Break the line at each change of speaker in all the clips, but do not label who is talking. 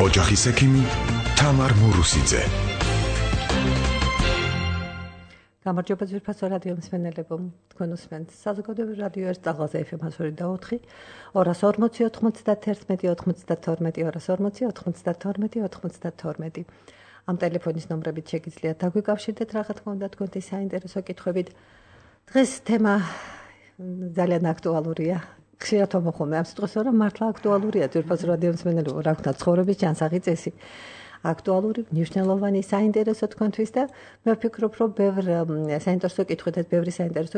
ოჯახის ექიმი თამარ მურუსიძე.
გამარჯობა ძვირფასო რადიო მსმენელებო, თქვენ უსმენთ საზოგადოებრივ რადიო ერთ წაღლაზე FM 102.4 240-91-92 ამ ტელეფონის ნომრებით შეგიძლიათ დაგვიკავშირდეთ რა თქმა უნდა თქვენთვის საინტერესო კითხვებით. დღეს თემა ძალიან აქტუალურია. ხშირად მომხმობ ამ სიტყვას, რომ მართლა აქტუალურია ძვირფასო რადიო მსმენელებო, რა ვქნა ცხოვრების ჯანსაღი წესი. აქტუალური, მნიშვნელოვანი, საინტერესო თქვენთვის და მე ვფიქრობ, რომ ბევრი საინტერესო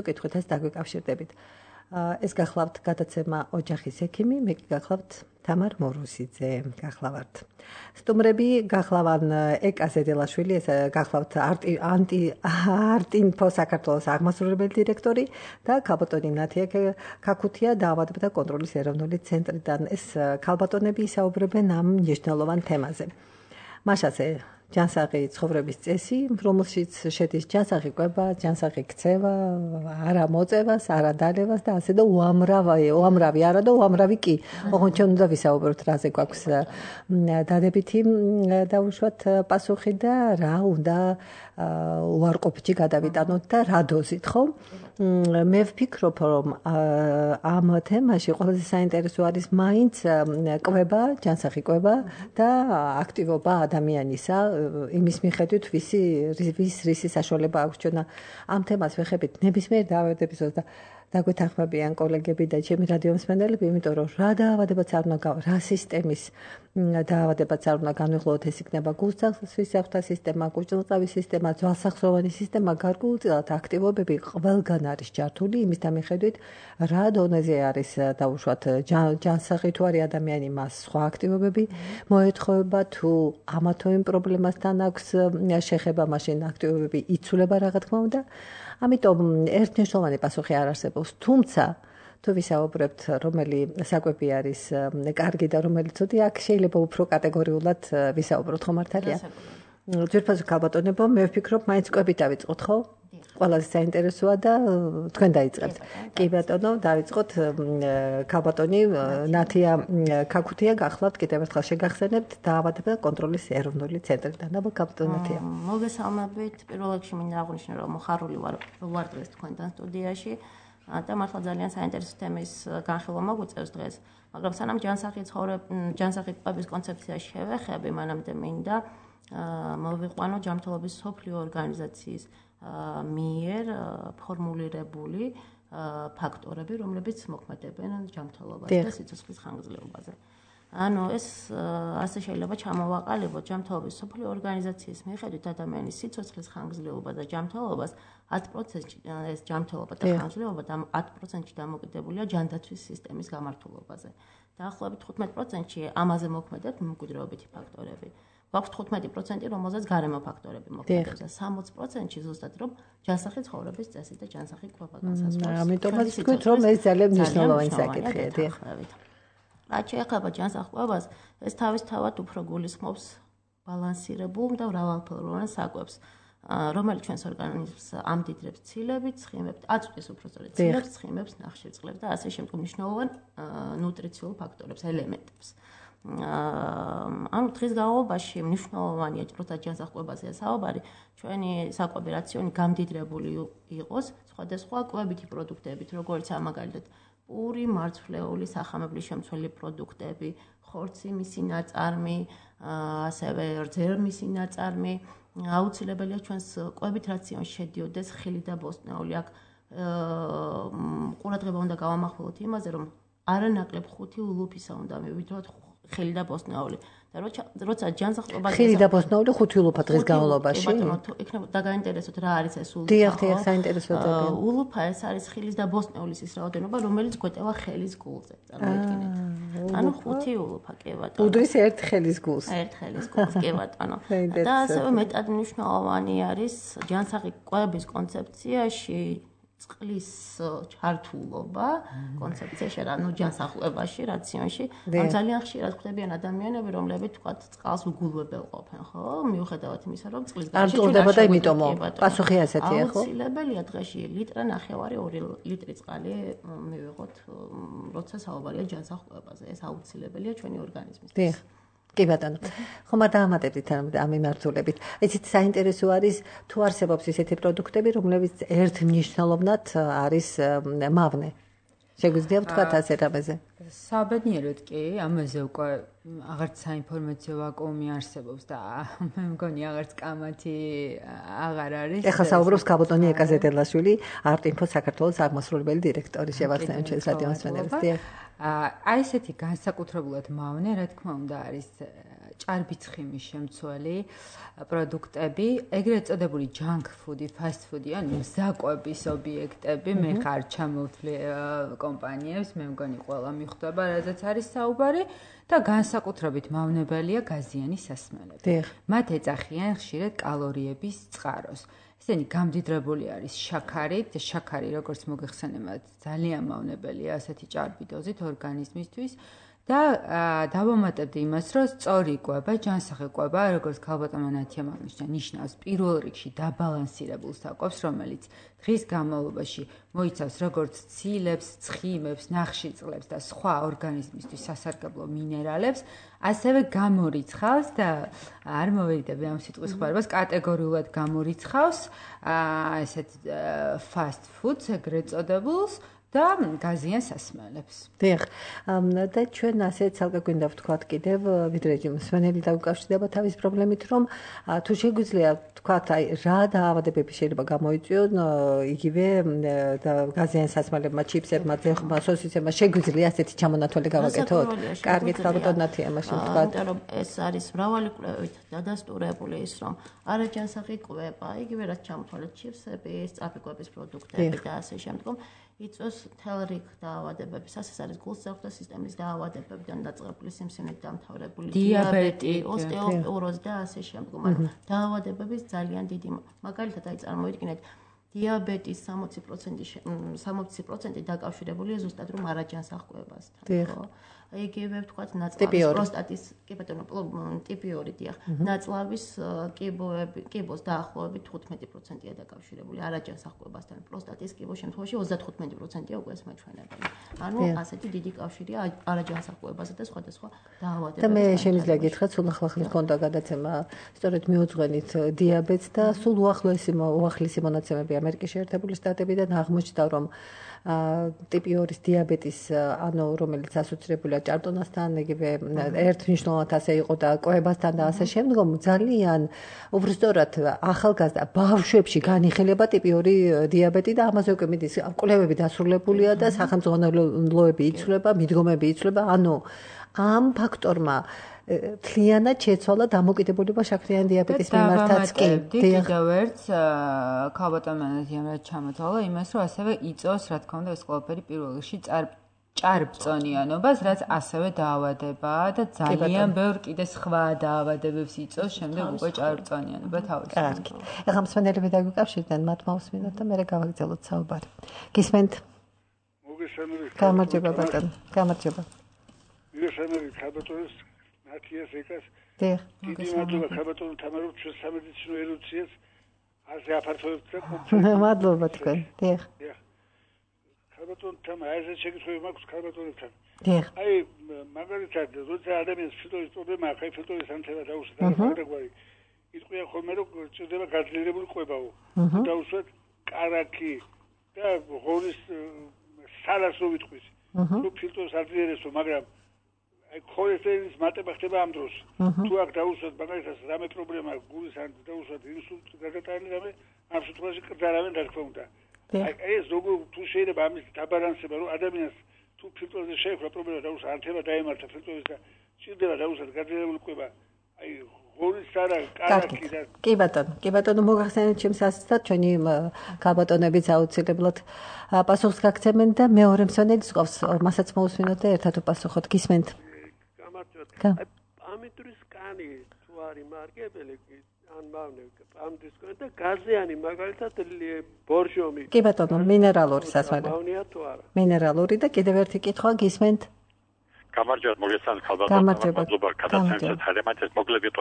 კითხვითაც დაგვიკავშირდებით. ეს გახლავთ გადაცემა ოჯახის ექიმი, მე კი გახლავთ თამარ მურუსიძე, გახლავართ. სტუმრები გახლავან ეკა ზედელაშვილი, ეს გახლავთ არტინფო საქართველოს აღმასრულებელი დირექტორი და ქალბატონი ნათია ქაქუთია დაავადებათა კონტროლის ეროვნული ცენტრიდან. ეს ქალბატონები ისაუბრებენ ამ მნიშვნელოვან თემაზე. მაშასე ჯანსაღი ცხოვრების წესი, რომელშიც შედის ჯანსაღი კვება, ჯანსაღი ქცევა, არა მოწევას, არა დალევას და ასე და უამრავი არა და უამრავი კი. ოღონდ ჩვენ უნდა ვისაუბროთ, რაზე გვაქვს დადებითი დაუშვათ პასუხი და რა უნდა უარყოფითი გადავიტანოთ და რა დოზით, ხო? მე ვფიქრობ, რომ ამ თემაში ყველაზე საინტერესო არის მაინც კვება, ჯანსაღი კვება და აქტივობა ადამიანისა, იმის მიხედვით რისი საშუალება აქვს ჩვენ ამ თემას ვეხებით ნებისმიერ დაავადებისას და დაგვეთანხმებიან კოლეგები და ჩემი რადიო მსმენელები, იმიტომ რომ რა დაავადებაც არ უნდა რა სისტემის დაავადებაც არ უნდა განვიხილოთ, ეს იქნება გულსახსოვთა სისტემა, გულწილყავის სისტემა, ძვალსახსოვანი სისტემა, გარკვეულწილად აქტივობები ყველგან არის ჯართული, იმის მიხედვით რა დონეზე არის დაუშვათ ჯანსაღი თუ არის ადამიანი, მას სხვა აქტივობები მოეთხოვება, თუ ამა თუ იმ პრობლემასთან აქვს შეხება, მაშინ აქტივობები იცვლება რა თქმა უნდა. ამიტომ ერთნიშნულოვანი პასუხი არ არსებობს, თუმცა თუ ვისაუბრებთ, რომელი საკვები არის კარგი და რომელიც ცუდი, აქ შეიძლება უფრო კატეგორიულად ვისაუბროთ, ხო მართალია? ძვირფასო ქალბატონებო, მე ვფიქრობ, მაინც კვები დავიწყოთ, ხო? ყველაზე საინტერესოა და თქვენ დაიწყებთ. კი ბატონო, დავიწყოთ ქალბატონი ნათია ქაქუთია გახლავთ, კიდევ ერთხელ შეგახსენებთ დაავადებათა კონტროლის ეროვნული ცენტრიდან. აბა ქალბატონი ნათია.
მოგესალმებით. პირველ რიგში მინდა აღვნიშნო, რომ მოხარული ვარ დღეს თქვენთან სტუდიაში და მართლა ძალიან საინტერესო თემის განხილვა მოგვიწევს დღეს. მაგრამ სანამ ჯანსაღი კვების კონცეფციაში შევეხები, მანამდე მინდა მოვიყვანო ჯანმრთელობის მსოფლიო ორგანიზაციის მიერ ფორმულირებული ფაქტორები, რომლებიც მოქმედებენ ჯანმრთელობას და სიცოცხლის ხანგრძლივობაზე. ანუ ეს ასე შეიძლება ჩამოვაყალიბოთ ჯანმრთელობის მსოფლიო ორგანიზაციის მიხედვით ადამიანის სიცოცხლის ხანგრძლივობა და ჯანმრთელობას 10%-ში ეს ჯანმრთელობა და ხანგრძლივობა 10%-ში დამოკიდებულია ჯანდაცვის სისტემის გამართულობაზე. დაახლოებით 15%-ში ამაზე მოქმედებს მემკვიდრეობითი ფაქტორები. გვაქვს 15%, რომელზეც გარემო ფაქტორები მოქმედებს და 60%-ში ზუსტად რომ ჯანსაღი ცხოვრების წესი და ჯანსაღი კვება განსაზღვრავს.
ამიტომაც ვთქვით, რომ ეს ძალიან მნიშვნელოვანი საკითხია, დიახ.
რაც შეეხება ჯანსაღ კვებას, ეს თავისთავად უფრო გულისხმობს ბალანსირებულ და მრავალფეროვან საკვებს, რომელიც ჩვენს ორგანიზმს ამდიდრებს ცილებით, ცხიმებს, აწვდის უბრალოდ ცილებს, ცხიმებს, ნახშირწყლებს და ასე შემდგომ მნიშვნელოვან ნუტრიციულ ფაქტორებს, ელემენტებს. ანუ დღის განმავლობაში მნიშვნელოვანია, როცა ჯანსაღ კვებაზეა საუბარი, ჩვენი საკვები რაციონი გამდიდრებული იყოს სხვადასხვა კვებითი პროდუქტებით, როგორც მაგალითად პური, მარცვლეული, სახამებლის შემცველი პროდუქტები, ხორცი, მისი ნაწარმი, ასევე რძერმისი ნაწარმი, აუცილებელია ჩვენს კვებით რაციონში შედიოდეს ხილი და ბოსტნეული. აქ ყურადღება უნდა გავამახვილოთ იმაზე, რომ არანაკლებ 5 ულუფისა უნდა მივიდროთ ხილი და ბოსტნეული. და როცა ჯანსაღ კვებაზე
ხილი და ბოსტნეული 5 ულუფა დღის განმავლობაში.
იქნება დაგაინტერესოთ რა არის ეს ულუფა.
დიახ, საინტერესოა.
ულუფა ეს არის ხილის და ბოსტნეულის ის რაოდენობა, რომელიც გვეტევა ხელის გულზე. წარმოიდგინეთ. ანუ 5 ულუფა, კი ბატონო.
უდრის ერთ ხელის გულს.
ერთ ხელის გულს, კი ბატონო. და ასევე მეტად მნიშვნელოვანი არის ჯანსაღი კვების კონცეფციაში წყლის ჩართულობა კონცეფციაში, ანუ ჯანსაღ-კვებაში, რაციონში. ან ძალიან ხშირად ხდებიან ადამიანები, რომლებიც თქვათ წყალს უგულვებელ ყოფენ, ხო? მიუხედავად იმისა, რომ წყლის
გარშემო არ ჭირდება და იმიტომ პასუხი ასეთია, ხო?
აუცილებელია დღეში ლიტრა ნახევარი 2 ლიტრი წყალი მივიღოთ, როცა საუბარია ჯანსაღ-კვებაზე. ეს აუცილებელია ჩვენი ორგანიზმისთვის.
კი ბატონო. ხომ არ დაამატებდით ამ მიმართულებით. იცით საინტერესო არის თუ არსებობს ისეთი პროდუქტები, რომლებიც ერთმნიშვნელოვნად არის მავნე. შეგვიძლია ვთქვათ ასე რამეზე?
საბედნიეროდ კი, ამაზე უკვე აღარც საინფორმაციო ვაკუუმი არსებობს და მე მგონი აღარც კამათი აღარ არის. ეხლა
საუბრობს ქაბოტონი ეკაზეტელაშვილი, არტ-ინფო საქართველოს აღმასრულებელი დირექტორი შევახსენებთ ჩვენს რადიო მასწავლებლებს.
აი ესეთი განსაკუთრებულად მავნე, რა თქმა უნდა, არის ჭარბიცხიმის შემცველი პროდუქტები, ეგრეთ წოდებული junk food, fast food, ანუ მზაკვების ობიექტები, მე ხარ ჩამოვთვლი კომპანიებს, მე მგონი ყველა მიხვდება, რაზეც არის საუბარი და განსაკუთრებით მავნებელია გაზიანი სასმელები. მათ ეძახიან ხშირად კალორიების წყაროს. ესენი გამდიდრებული არის შაქარით, შაქარი როგორც მოგეხსენებათ, ძალიან მავნებელია ასეთი ჭარბი დოზით ორგანიზმისთვის. და დავამატებდი იმას, რომ სწორი კვება, ჯანსაღი კვება, როგორც ქალბატონმა ნათიამ აღნიშნა, ნიშნავს პირველ რიგში დაბალანსირებულ საკვებს, რომელიც დღის განმავლობაში მოიცავს როგორც ცილებს, ცხიმებს, ნახშირწყლებს და სხვა ორგანიზმისთვის სასარგებლო მინერალებს, ასევე გამორიცხავს და არ მოვიდები ამ სიტყვის ხმარებას, კატეგორიულად გამორიცხავს ესეთ fast foods ეგრეთ წოდებულს და გაზიან სასმელებს.
დიახ. და ჩვენ ასე ცალკე გვინდა ვთქვათ კიდევ, ვიდრე მსმენელი დაუკავშირდება თავის პრობლემით, რომ თუ შეგვიძლია ვთქვათ, აი რა დაავადებები შეიძლება გამოიწვიონ იგივე გაზიან სასმელებმა, ჩიპსებმა, ძეხმა, სოსისებმა, შეგვიძლია ასეთი ჩამონათვალი გავაკეთოთ? კარგით, ქალბატონ ნათია, მაშინ ვთქვათ.
იმიტომ რომ ეს არის მრავალი კვლევით დადასტურებული ის, რომ არაჯანსაღი კვება, იგივე რაც ჩამოთვალეთ ჩიპსები, სწრაფი კვების პროდუქტები და ასე შემდგომ იწვევს მთელ რიგ დაავადებების, ასეც არის გულსახვთა სისტემის დაავადებებიდან დაწყებული სიმსივნით დამთავრებული დიაბეტი, ოსტეოპოროზი და ასე შემდგომ. ანუ დაავადებების ძალიან დიდი, მაგალითად აი წარმოიდგინეთ, დიაბეტის 60% დაკავშირებულია ზუსტად რომ არაჯანსაღ კვებასთან, ხო? იგივე ვთქვათ ნაწლავის პროსტატის, კი ბატონო, ტიპი 2 დიახ, ნაწლავის კიბოს დაახლოებით 15%-ია დაკავშირებული არაჯანსაღ კვებასთან. პროსტატის კიბოს შემთხვევაში 35%-ია უკვე ეს მაჩვენებელი. ანუ ასეთი დიდი კავშირია არაჯანსაღ კვებასა და სხვადასხვა დაავადებებთან.
და მე შემიძლია გითხრათ, სულ ახლა ქონდა გადაცემა, სწორედ მიუძღვენით დიაბეტს და სულ უახლესი მონაცემები ამერიკის შეერთებული შტატებიდან აღმოჩნდა, რომ ტიპი 2-ის დიაბეტის, ანუ რომელიც ასოცირებულია ჭარბტონასთან, იგივე ერთმნიშვნელოვნად ასე იყო და კვებასთან და ასე შემდგომ, ძალიან უბრალოდ ახალგაზრდა ბავშვებში განიხილება ტიპი 2 დიაბეტი და ამაზე უკვე მიდის კვლევები დასრულებულია და სახელმძღვანელოები იცვლება, მიდგომები იცვლება, ანუ ამ ფაქტორმა თლიანად შეცვალა დამოკიდებულება შაქრიანი დიაბეტის მიმართაც კი.
კიდევ ერთ ქალბატონმა ნათიამ რაც ჩამოთვალა იმას, რომ ასევე იწვევს, რა თქმა უნდა, ეს ყველაფერი პირველ რიგში ჭარბწონიანობას, რაც ასევე დაავადებაა და ძალიან ბევრ კიდე სხვა დაავადებებს იწვევს, შემდეგ უკვე ჭარბწონიანობა თავისუფლად.
კარგი. ეხლა მსმენელები დაგვიკავშირდნენ, მათ მოვსმინოთ და მერე გავაგრძელოთ საუბარი. გისმენთ?
მოგესალმებით.
გამარჯობა ბატონო, გამარჯობა.
მოგესალმებით ქალბატონის ნათიას ეკას.
დიახ.
დიდი მადლობა ქალბატონო თამარო ჩვენს სამედიცინო ელუციას ასე აფართოვებთ და კომპლექსს.
მადლობა თქვენ. დიახ.
დიახ. ქალბატონ თამა ასე შეგიძლია მაქვს ქალბატონებთან.
დიახ.
აი მაგალითად როცა ადამიანს ფილტვების პრობლემა აქვს, აი ფილტვების ანთება დაუშვათ დაგვარი. იტყვია ხოლმე რომ ჭირდება გაძლიერებული კვებაო. დაუშვათ კარაქი და ღორის სალას რო ვიტყვის. რო ფილტვებს აძლიერებსო, მაგრამ აი ქოლესტერინის მატება ხდება ამ დროს. თუ აქ დაუშვათ მაგალითად რამე პრობლემა გულის ან დაუშვათ ინსულტი გადატანილი რამე, ამ შემთხვევაში კრძალავენ რა თქმა უნდა. აი ეს როგორ თუ შეიძლება ამის დაბალანსება რომ ადამიანს თუ ფილტვებზე შეექმნა პრობლემა დაუშვათ ანთება დაემართა ფილტვების და ჭირდება დაუშვათ გაძლიერებული კვება. აი ღორის არა კარაქი და
კი ბატონო მოგახსენეთ ჩემს ასაცად ჩვენი ქალბატონებიც აუცილებლად პასუხს გაგცემენ და მეორე მსმენელს ყავს მასაც მოусმინოთ და ერთად უპასუხოთ. გისმენთ?
ამიტრის კანი თუ არის მარკებელი ან მავნე ამ დისკო და გაზიანი მაგალითად ბორჟომი.
კი ბატონო, მინერალური სასმელი.
მავნია თუ არა?
მინერალური და კიდევ ერთი კითხვა გისმენთ?
გამარჯობა მოგესალმებით ქალბატონო, მადლობა გადაცემით ჰალემათეს მოგლებით.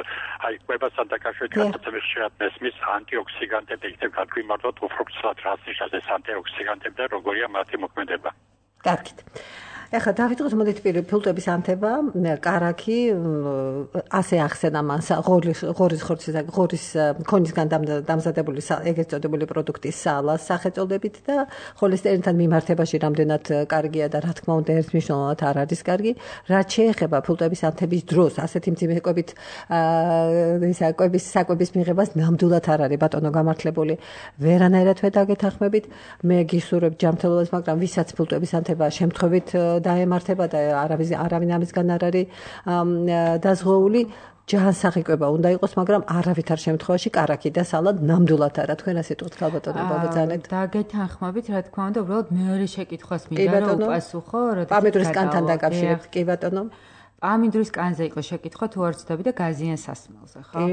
აი კვებასთან დაკავშირებით გადაცემის შეად მესმის ანტიოქსიდანტები იქნებ გაგვიმართოთ უფრო ცალად რას ნიშნავს ეს ანტიოქსიდანტები და როგორია მათი მოქმედება.
კარგით. ეხლა დავიწყოთ მოდით ფილტვების ანთება, კარაქი, ასე ახსენა მან ღორის ქონისგან დამზადებული ეგრეთ წოდებული პროდუქტის სალა სახელწოდებით და холестерინთან მიმართებაში რამდენად კარგია და რა თქმა უნდა ერთმნიშვნელოვნად არ არის კარგი. რაც შეეხება ფილტვების ანთების დროს, ასეთი მძიმე კვებით საკვების მიღებას ნამდვილად არ არის ბატონო გამართლებული. ვერანაირად ვერ დაგეთანხმებით. მე გისურვებ ჯანმრთელობას, მაგრამ ვისაც ფილტვების ანთება შემთხვევით დაემართება და არავინ ამისგან არ არის დაზღვეული, ჯანსაღი კვება უნდა იყოს, მაგრამ არავითარ შემთხვევაში კარაქი და სალა ნამდვილად არა. თქვენ ასე თქოთ, ქალბატონო ბაბაძანეთ.
დაგეთანხმებით, რა თქმა უნდა, უბრალოდ მეორე შეკითხვას მინდა რომ უპასუხო, როდესაც
პამიდურის კანთან დაკავშირებით, კი ბატონო.
პამიდურის კანზე იყო შეკითხვა თუ არ ვცდები და გაზიან სასმელზე, ხო?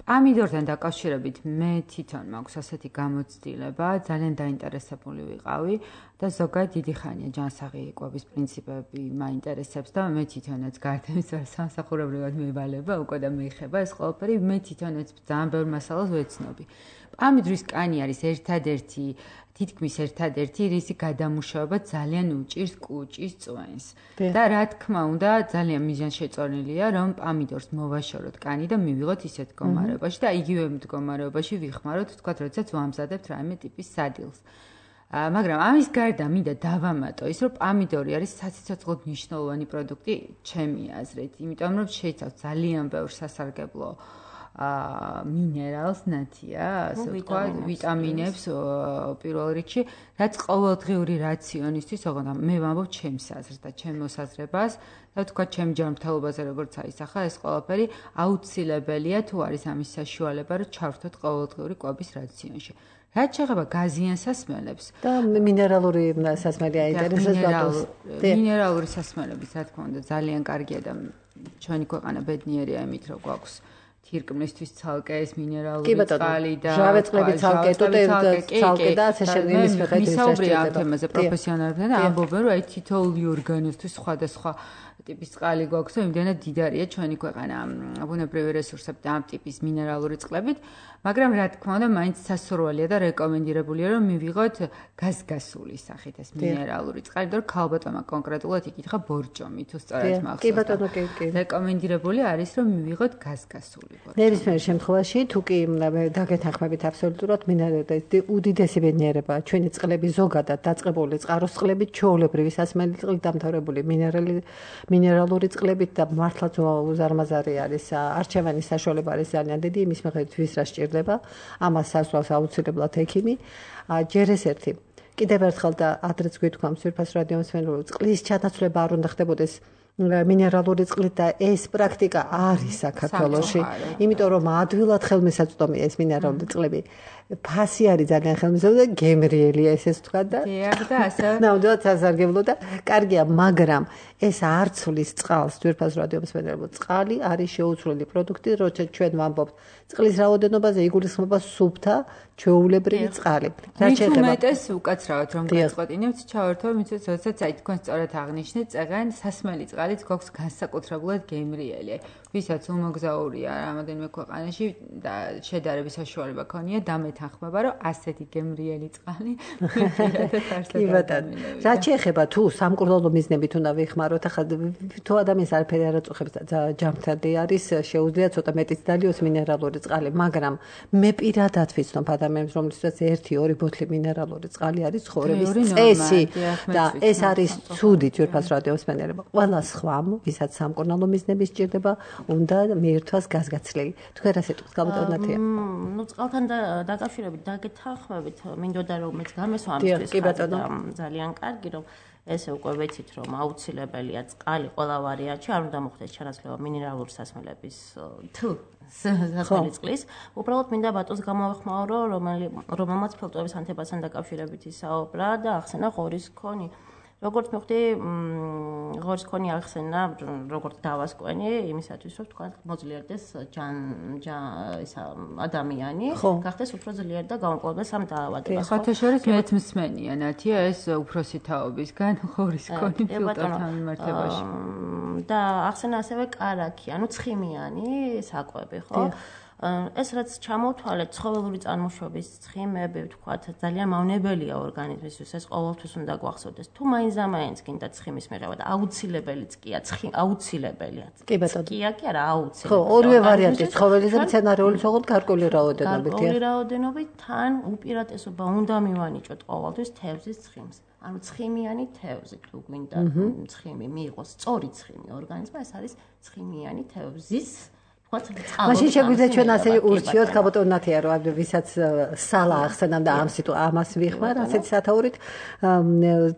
პამიდორთან დაკავშირებით მე თვითონ მაქვს ასეთი გამოცდილება, ძალიან დაინტერესებული ვიყავი და ზოგადად დიდი ხანია ჯანსაღი კვების პრინციპები მაინტერესებს და მე თვითონაც გარდა იმისა, რომ სამსახურებრივად მევალება უკვე და მეიხება ეს ყველაფერი, მე თვითონაც ძალიან ბევრ მასალას ვეცნობი. პამიდურის კანი არის თითქმის ერთადერთი რისი გადამუშავება ძალიან უჭირს კუჭის წვენს. და რა თქმა უნდა, ძალიან მიზანშეწონილია, რომ პამიდორს მოვაშოროთ კანი და მივიღოთ ისეთ მდგომარეობაში და იგივე მდგომარეობაში ვიხმაროთ, თქვათ, როდესაც ვამზადებთ რაიმე ტიპის სადილს. მაგრამ ამის გარდა მინდა დავამატო ის, რომ პამიდორი არის საციცოცხლოდ მნიშვნელოვანი პროდუქტი ჩემი აზრით, იმიტომ რომ შეიცავს ძალიან ბევრ სასარგებლო მინერალს ნათია, ასე ვთქვათ, ვიტამინებს პირველ რიგში, რაც ყოველდღიური რაციონისთვის, ოღონდ მე ვამბობ ჩემს აზრს და ჩემ მოსაზრებას და ვთქვათ, ჩემ ჯანმრთელობაზე როგორც აისახა ეს ყველაფერი აუცილებელია თუ არის ამის საშუალება, რომ ჩავრთოთ ყოველდღიური კვების რაციონში. რაც შეეხება გაზიან სასმელებს
და მინერალური სასმელი აინტერესებს ბატონს.
მინერალური სასმელების, რა თქმა უნდა, ძალიან კარგია და ჩვენი ქვეყანა ბედნიერია იმით, რომ გვაქვს თირკმლისთვის ცალკე ეს მინერალური წყალი და
ჟავეწყლები ცალკე, თუთე და ასე შემდეგ იმის მიხედვით
ვისაუბრია ამ თემაზე პროფესიონალებთან და ამბობენ, რომ აი თითოეული ორგანოსთვის სხვადასხვა ტიპის წყალი გვაქვს და იმდენად დიდარია ჩვენი ქვეყანა ბუნებრივი რესურსებით და ამ ტიპის მინერალური წყლებით, მაგრამ რა თქმა უნდა, მაინც სასურველია და რეკომენდირებულია, რომ მივიღოთ გაზგასული სახით ეს მინერალური წყალი, და ქალბატონმა კონკრეტულად იკითხა ბორჯომი, თუ სწორად მახსოვს.
კი ბატონო, კი.
რეკომენდირებული არის, რომ მივიღოთ გაზგასული ბორჯომი.
ნებისმიერ შემთხვევაში, თუ კი დაგეთანხმებით აბსოლუტურად, უდიდესი ბედნიერება ჩვენი წყლები ზოგადად დაწყებული წყაროს წყლებით, ჩვეულებრივი სასმელი წყლით დამთავრებული მინერალური წყლებით და მართლაც უზარმაზარი არის არჩევანის საშუალება არის ძალიან დიდი, იმის მიხედვით ვის რა სჭირდება, ამას სასწავლავს აუცილებლად ექიმი. ჯერ ეს ერთი. კიდევ ერთხელ და ადრეც გვითქვამს ძვირფას რადიომსმენელო, წყლის ჩანაცვლება არ უნდა ხდებოდეს მინერალური წყლით და ეს პრაქტიკა არის საქართველოში, იმიტომ რომ ადვილად ხელმისაწვდომია ეს მინერალური წყლები. ფასი არის ძალიან ხელმისაწვდომი და გემრიელია ესე ვთქვა და ნამდვილად სასარგებლო და კარგია, მაგრამ ეს არ ცვლის წყალს, ძვირფას რადიომსმენელო, წყალი არის შეუცვლელი პროდუქტი, როცა ჩვენ ვამბობთ წყლის რაოდენობაზე, იგულისხმება სუფთა ჩვეულებრივი წყალი.
რაც შეეხება უმეტეს უკაცრავად რომ გაწყვეტინებთ, ჩავერთო, მიცეთ, როდესაც აი თქვენ სწორად აღნიშნეთ, წეგან სასმელი წყალიც გვაქვს განსაკუთრებულად გემრიელი. ვისაც უმოგზაურია რამოდენიმე ქვეყანაში და შედარების საშუალება ქონია, დამეთანხმება, რომ ასეთი გემრიელი წყალი
კი ბატონო. რაც შეეხება თუ სამკურნალო მიზნებით უნდა ვიხმაროთ, ახლა თუ ადამიანს არაფერი არ აწუხებს და ჯანმრთელი არის, შეუძლია ცოტა მეტიც დალიოს მინერალური წყალი, მაგრამ მე პირადად ვიცნობ ადამიანს, რომლისთვისაც 1-2 ბოთლი მინერალური წყალი არის ცხოვრების წესი და ეს არის ცუდი ძვირფას რადიომსმენელობა. ყველა სხვამ, ვისაც სამკურნალო მიზნები სჭირდება, უნდა მიირთვას გაზგაცლილი. თქვენ ასე თქვით, გაბატონო ნათია.
ნუ წყალთან დაკავშირებით დაგეთანხმებით, მინდოდა რომ მეც გამესვა ამისთვის ძალიან კარგი, რომ ესე უკვე ვეცით, რომ აუცილებელია წყალი ყველა ვარიანტში, არ უნდა მოხდეს ჩანაცვლება მინერალური სასმელების სასმელი წყლის. უბრალოდ მინდა ბატონს გამოვეხმაურო, რომელმაც ფილტვების ანთებასთან დაკავშირებით ისაუბრა და ახსენა ღორის ქონი. როგორც მივხვდი, ღორის ქონი ახსენა, როგორც დავასკვენი, იმისათვის, რომ თქვა მოძლიერდეს ადამიანი, გახდეს უფრო ძლიერი და გამოპოვდეს ამ დაავადებას.
ხოთა შორის მეც მსმენია, ნათია, ეს უფროსი თაობისგან ღორის ქონი ფილტრთან მიმართებაში.
და ახსენა ასევე კარაქი, ანუ ცხიმიანი საკვები, ხო? ეს რაც ჩამოვთვალეთ, ცხოველური წარმოშობის ცხიმები, ვთქვათ, ძალიან მავნებელია ორგანიზმისთვის, ეს ყოველთვის უნდა გვახსოვდეს. თუ მაინც გინდა ცხიმის მიღება და აუცილებელიც კია, აუცილებელია.
კი ბატონო.
კია კი არა, აუცილებელი.
ხო, ორივე ვარიანტი, ცხოველის და მცენარეული ცხოველთა გარკვეული რაოდენობით.
გარკვეული რაოდენობით თან უპირატესობა უნდა მივანიჭოთ ყოველთვის თევზის ცხიმს. ანუ ცხიმიანი თევზი, თუ გვინდა ცხიმი მიიღოს, სწორი ცხიმი ორგანიზმმა, ეს არის ცხიმიანი თევზის
მაშინ შეგვიძლია ჩვენ ასე ურჩიოთ ქაბოტონათია რომ ვისაც სალა ახსენამ და ამას ვიხმარ ასეთი სათაურით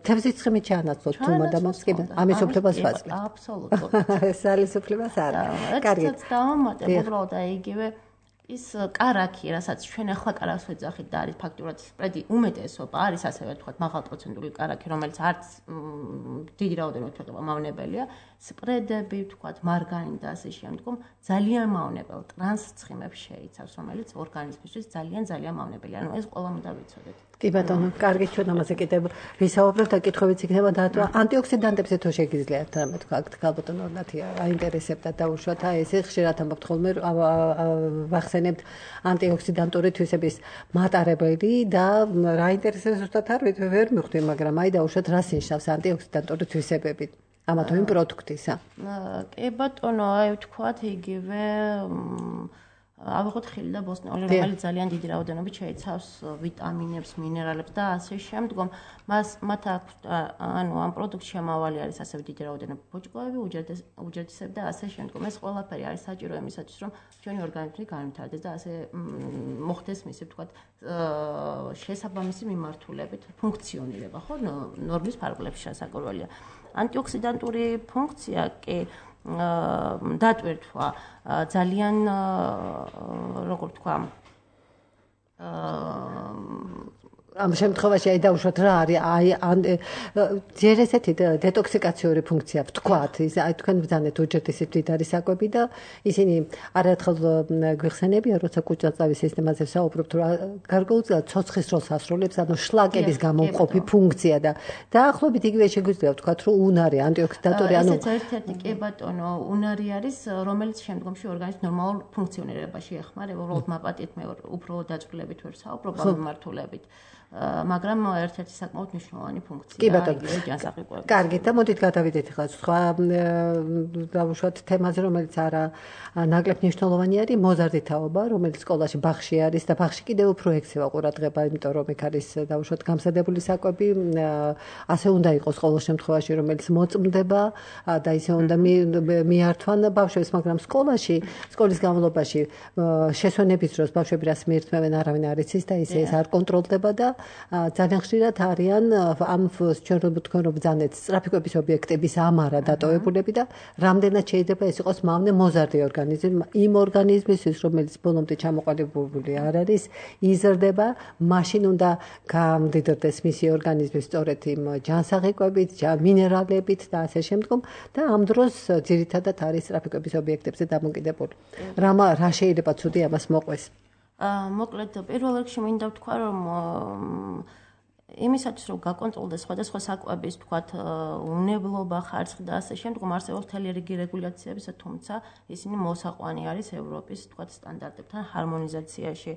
თევზის ცხიმით ჩაანაცვლოთ თუ მოდამოს კი ამის უფლებას ვაძლევთ
აბსოლუტურად
სალის უფლებას არა
კარგი დავამატებ უბრალოდ აი იგივე ის კარაქი, რასაც ჩვენ ახლა კარაქს ვეძახით და არის ფაქტურად სპრედი უმეტესობა არის ასევე თქვა მაღალპროცენტული კარაქი, რომელიც არც დიდი რაოდენობით ვეღება მავნებელია, სპრედები, თქვა მარგანი და ასე შემდგომ ძალიან მავნებელ ტრანს ცხიმებს შეიცავს, რომელიც ორგანიზმისთვის ძალიან მავნებელია. ანუ ეს ყველამ უნდა ვიცოდეთ.
კი ბატონო, კარგი ჩვენ ამაზე კიდევ ვისაუბრებთ და კითხვებიც იქნება და ანტიოქსიდანტებზე თუ შეგიძლიათ რამე თქვა ქაბოტონო ნათია აინტერესებდა დაუშვათ აი ესე ხშირად ამბობთ ხოლმე ვახსენებთ ანტიოქსიდანტური თვისების მატარებელი და რა ინტერესებს ზუსტად არ ვერ მიხვდი, მაგრამ აი დაუშვათ რას ნიშნავს ანტიოქსიდანტური თვისებები ამა თუ იმ პროდუქტისა.
კი ბატონო, აი ვთქვათ იგივე ავიღოთ ხილი და ბოსტნეული, რომელიც ძალიან დიდი რაოდენობით შეიცავს ვიტამინებს, მინერალებს და ასე შემდგომ. მათ აქვს ანუ ამ პროდუქტში შემავალი არის ასევე დიდი რაოდენობით ბოჭკოები, უჯრედისები და ასე შემდგომ. ეს ყველაფერი არის საჭირო იმისათვის, რომ ჩვენი ორგანიზმი განვითარდეს და ასე მოხდეს მისი, ვთქვათ, შესაბამისი მიმართულებით ფუნქციონირება, ხო, ნორმის ფარგლებში შესაძლებელია. ანტიოქსიდანტური ფუნქცია კი დატვირთვა ძალიან როგორ თქვა
ამ შემთხვევაში აი დაუშვათ რა არის აი ჯერ ესეთი დეტოქსიკაციური ფუნქცია ვთქვათ ის აი თქვენ ბრძანეთ უჯრედისით მდიდარი საკვები და ისინი არაერთხელ გვიხსენებიან როცა კუჭაწავის სისტემაზე საუბრობთ რომ გარკვეულწილად ცოცხლის როლს ასრულებს ანუ შლაკების გამომყოფი ფუნქცია და დაახლოებით იგივე შეგვიძლია ვთქვათ რომ უნარი ანტიოქსიდანტური ანუ
ესეც ერთ-ერთი კი ბატონო უნარი არის რომელიც შემდგომში ორგანიზმის ნორმალურ ფუნქციონირებაში ეხმარება უბრალოდ მაპატით მე უფრო დაწყლებით ვერ საუბრობ ამ მიმართულებით მაგრამ ერთ-ერთი საკმაოდ მნიშვნელოვანი ფუნქციაა იგივე ჯანსაღი.
კარგი, და მოდით გადავიდეთ ახლა სხვა დავუშვათ თემაზე, რომელიც არა ნაკლებ მნიშვნელოვანი არის, მოზარდი თაობა, რომელიც სკოლაში ბაღში არის და ბაღში კიდევ უფრო ექცევა ყურადღება, იმიტომ რომ იქ არის დავუშვათ გამზადებული საკვები, ასე უნდა იყოს ყოველ შემთხვევაში, რომელიც მოწმდება და ისე უნდა მიართვან ბავშვებს, მაგრამ სკოლის განმავლობაში შესვენების დროს ბავშვები რას მიირთმევენ, არავინ არ იცის და ისე ეს არ კონტროლდება და ძალიან ხშირად არიან ამ ჩვენ თქვენ რომ ბრძანეთ სტრაფიკების ობიექტების ამარა დატოვებულები და რამდენად შეიძლება ეს იყოს მავნე მოზარდი ორგანიზმი იმ ორგანიზმისთვის რომელიც ბოლომდე ჩამოყალიბებული არ არის იზრდება მაშინ უნდა გამდიდრდეს მისი ორგანიზმი სწორედ იმ ჯანსაღი კვებით მინერალებით და ასე შემდგომ და ამ დროს ძირითადად არის სტრაფიკების ობიექტებზე დამოკიდებული რა შეიძლება ცუდი ამას მოყვეს
მოკლედ პირველ რიგში მინდა ვთქვა რომ იმისათვის რომ გაკონტროლდეს სხვადასხვა საკვების ვთქვათ უნებლობა ხარისხი და ასე შემდგომ არსებობს მთელი რიგი რეგულაციების თუმცა ისინი მოსაყვანი არის ევროპის ვთქვათ სტანდარტებთან ჰარმონიზაციაში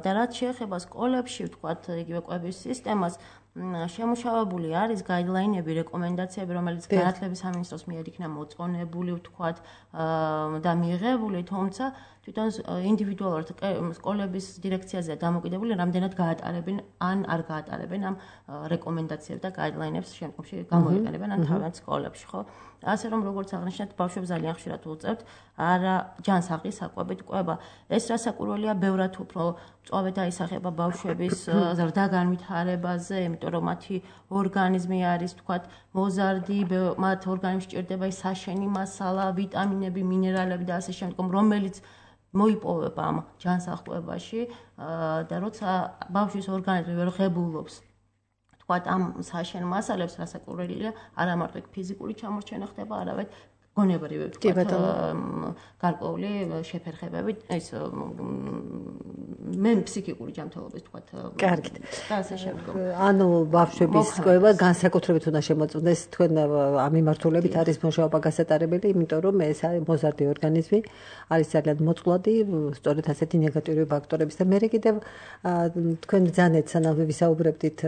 და რაც შეეხება სკოლებში ვთქვათ იგივე კვების სისტემას შემუშავებული არის გაიდლაინები, რეკომენდაციები, რომელიც განათლების სამინისტროს მიერ იქნა მოწონებული, ვთქვათ, და მიიღებული, თუმცა თვითონ ინდივიდუალურად სკოლების დირექციაზე დამოკიდებული, რამდენად გაატარებენ ან არ გაატარებენ ამ რეკომენდაციებს და გაიდლაინებს შემდგომში გამოიყენებენ ან თავიანთ სკოლებში, ხო? ასე რომ როგორც აღნიშნეთ, ბავშვებს ძალიან ხშირად უწევთ არა ჯანსაღი საკვებით კვება. ეს რასაკვირველია, ბევრად უფრო მწვავედ აისახება ბავშვების ზრდა განვითარებაზე, იმიტომ რომ მათი ორგანიზმი არის, ვთქვათ, მოზარდი, მათ ორგანიზმში ჭირდება საშენი მასალა, ვიტამინები, მინერალები და ასე შემდგომ, რომელიც მოიპოვება ამ ჯანსაღ კვებაში და როცა ბავშვის ორგანიზმი ვერ ღებულობს ვთქვათ ამ საშენ მასალებს რასაკვირველია არა მარტო ფიზიკური ჩამორჩენა ხდება, არამედ გონებრივი ვთქვათ გარკვეული შეფერხებებით ეს მე ფსიქიკური ჯანმრთელობის ვთქვათ
კარგით
და ასე შემდგომ
ანუ ბავშვების ყובה განსაკუთრებით უნდა შემოწმდეს თქვენ ამ მიმართულებით არის მუშაობა გასატარებელი იმიტომ რომ ეს არის მოზარდი ორგანიზმი არის ძალიან მოწყვლადი სწორედ ასეთი ნეგატიური ფაქტორების და მე კიდევ თქვენ ძანეთ სანამ ვისაუბრებდით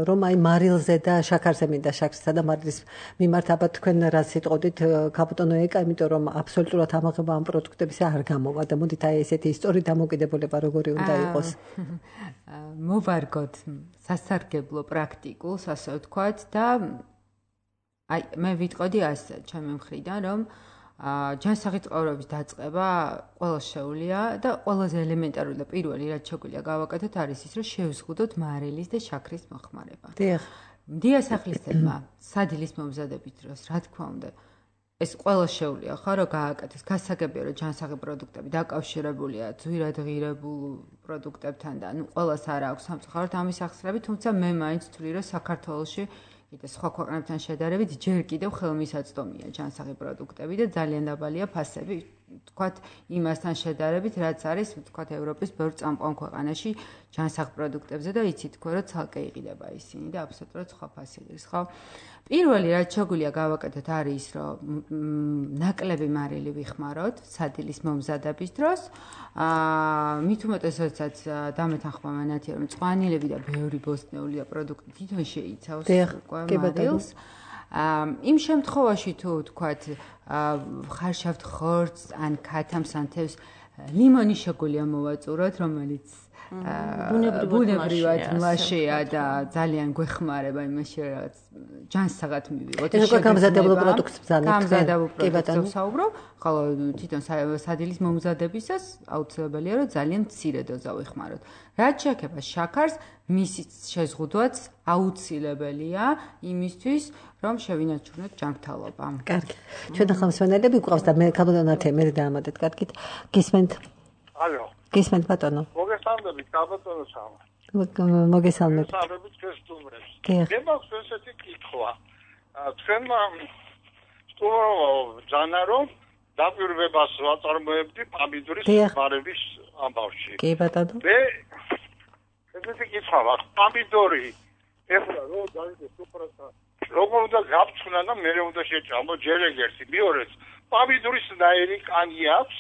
რომ აი მარილზე და შაქარზე მინდა შაქრსა და მარილის მიმართ აბა თქვენ რა სიტყოდით კაპიტონო ეკა იმიტომ რომ აბსოლუტურად ამაღება ამ პროდუქტებისა არ გამოვა და მოდით აი ესეთი ისტორიით დამოკიდებულება როგორი უნდა იყოს
მოვარგოთ სასარგებლო პრაქტიკულს ასე ვთქვათ და აი მე ვიტყოდი ასე ჩემი მხრიდან რომ ჯანსაღი ცხოვრების დაწყება ყველა შეუძლია და ყველაზე ელემენტარული და პირველი რაც შეგვიძლია გავაკეთოთ არის ის რომ შევზღუდოთ მარილის და შაქრის მოხმარება.
დიახ.
დიასახლისებმა სადილის მომზადების დროს რა თქმა უნდა ეს ყველა შეუძლია ხო რომ გააკეთოს გასაგებია რომ ჯანსაღი პროდუქტები დაკავშირებულია ძვირად ღირებულ პროდუქტებთან და ნუ ყველას არ აქვს სამწუხაროდ ამის ახსნები თუმცა მე მაინც ვთვლი რომ საქართველოში კიდე სხვა ქვეყნებთან შედარებით ჯერ კიდევ ხელმისაწვდომია ჯანსაღი პროდუქტები და ძალიან დაბალია ფასები თქვათ იმასთან შედარებით რაც არის თქვათ ევროპის ბევრ წამყვან ქვეყანაში ჯანსაღ პროდუქტებზე და იცით თქვენ რომ ცალკე იყიდება ისინი და აბსოლუტურად სხვა ფასი არის ხო პირველი რაც შეგვიძლია გავაკეთოთ არის რომ ნაკლები მარილი ვიხმაროთ სადილის მომზადების დროს მით უმეტესაც დამეთანხმა მანათია რომ მწვანილები და ბევრი ბოსტნეული და პროდუქტი თვითონ შეიცავს მარილს იმ შემთხვევაში თუ თქვათ ხარშავთ ხორცს ან ქათამს ან თევზს ლიმონი შეგვიძლია მოვაწუროთ რომელიც ბუნებრივად მლაშეა და ძალიან გვეხმარება იმაში რაღაც ჯანსაღად მივიღოთ
ეს უკვე გამზადებულ პროდუქტს ბრძანებთ
გამზადებულ პროდუქტს საუბრობ ხოლო თვითონ სადილის მომზადებისას აუცილებელია რომ ძალიან მცირე დოზა ვიხმაროთ რაც შეეხება შაქარს მისი შეზღუდვაც აუცილებელია იმისთვის რომ შევინარჩუნოთ ჯანმრთელობა
კარგი ჩვენ ახლა მსმენელები გვყავს და მე კაბატონათე მე დაამატეთ კარგით გისმენთ
ალო
გისმენთ ბატონო
მოგესალმებით კაბატონო სამ
მოგესალმებით
მოგესალმებით ჩვენს სტუმრებს
დიახ
მე მაქვს ესეთი კითხვა თქვენმა სტუმრობა რომ დაკვირვებას ვაწარმოებდი პამიდურის მარების ამბავში
კი ბატონო
მე ესეთი კითხვა მაქვს პამიდორი ეხლა რო დაიდეს უბრალოდ როგორ უნდა გავწუნა და მე უნდა შეჭამო ჯერ ერთი მეორეც პამიდურის ნაირი კანი აქვს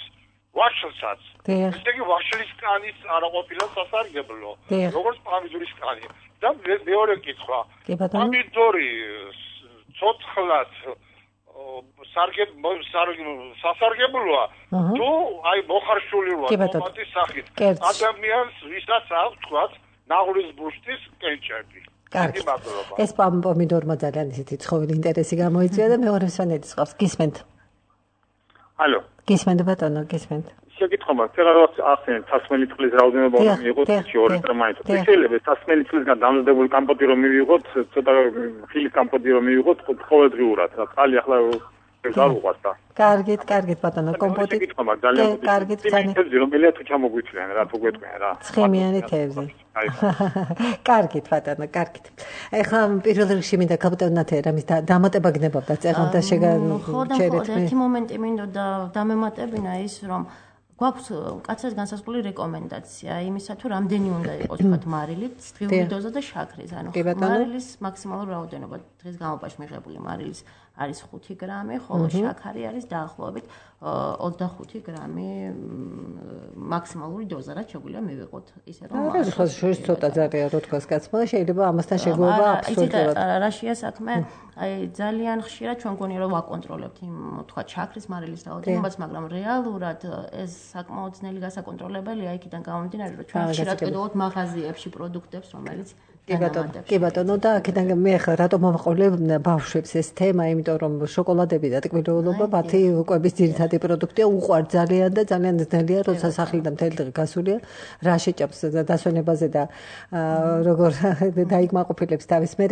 ვაშლსაც ესე იგი ვაშლის კანის არაყოფილა სასარგებლო როგორც პამიდურის კანი და მეორე კითხვა პამიდორი ცოცხლად სასარგებლოა თუ აი მოხარშული ვარ ტომატის სახით ადამიანს ვისაც აქვს თქვათ ნაღრის ბუშტის კენჭები
კარგი ეს პომიდორმა ძალიან ისეთი ცხოველი ინტერესი გამოიწვია და მეორე მსმენელის ყავს გისმენთ
ალო
გისმენთ ბატონო გისმენთ
შეკითხვა მაქვს რაღაც ახსენეთ სასმელი წყლის რაოდენობა უნდა მიიღოთ 2 ლიტრ მაინც შეიძლება სასმელი წყლისგან დამზადებული კომპოტი რომ მივიღოთ ცოტა ხილის კომპოტი რომ მივიღოთ ყოველდღიურად რა ხალი ახლა გავუყვათ და
კარგით ბატონო კომპოტი კარგით
ძალიან რომელია თუ ჩამოგვიწვიან რა თუ გვეტყვიან რა
ცხიმიანი თევზი კარგით ბატონო კარგით ეხლა პირველ რიგში მინდა კაპიტონათე რამის დამატება გნებავდა წეღან და
შეგაჩერეთ მე ერთი მომენტი მინდოდა დამემატებინა ის რომ გვაქვს კაცად განსაზღვრული რეკომენდაცია იმისა თუ რამდენი უნდა იყოს თქვათ მარილით დღიური დოზა და შაქრის ანუ მარილის მაქსიმალური რაოდენობა დღის განმავლობაში მიღებული მარილის არის 5 გრამი, ხოლო შაქარი არის დაახლოებით 25 გრამი მაქსიმალური დოზა, რაც შეგვიძლია მივიღოთ ისე რომ
არის ხო შორის ცოტა ძალიან რო თქვას კაცმა, შეიძლება ამასთან შეგუება აბსოლუტურად.
რაშია საქმე? აი ძალიან ხშირად ჩვენ გონია რომ ვაკონტროლებთ იმ თქვა შაქრის მარილის რაოდენობას, მაგრამ რეალურად ეს საკმაოდ ძნელი გასაკონტროლებელია იქიდან გამომდინარე, რომ ჩვენ ხშირად ყიდულობთ მაღაზიებში პროდუქტებს, რომელიც
კი ბატონო და აქედან მე ხა რატომ მომყოლე ბავშვებს ეს თემა, იმიტომ რომ შოკოლადები და ტკბილეულობა მათი კვების ძირითადი პროდუქტია, უყვართ ძალიან და ძალიან ძნელია, როცა სახლიდან მთელი დღე გასულია, რა შეჭამს დასვენებაზე და როგორ დაიკმაყოფილებს თავის. მე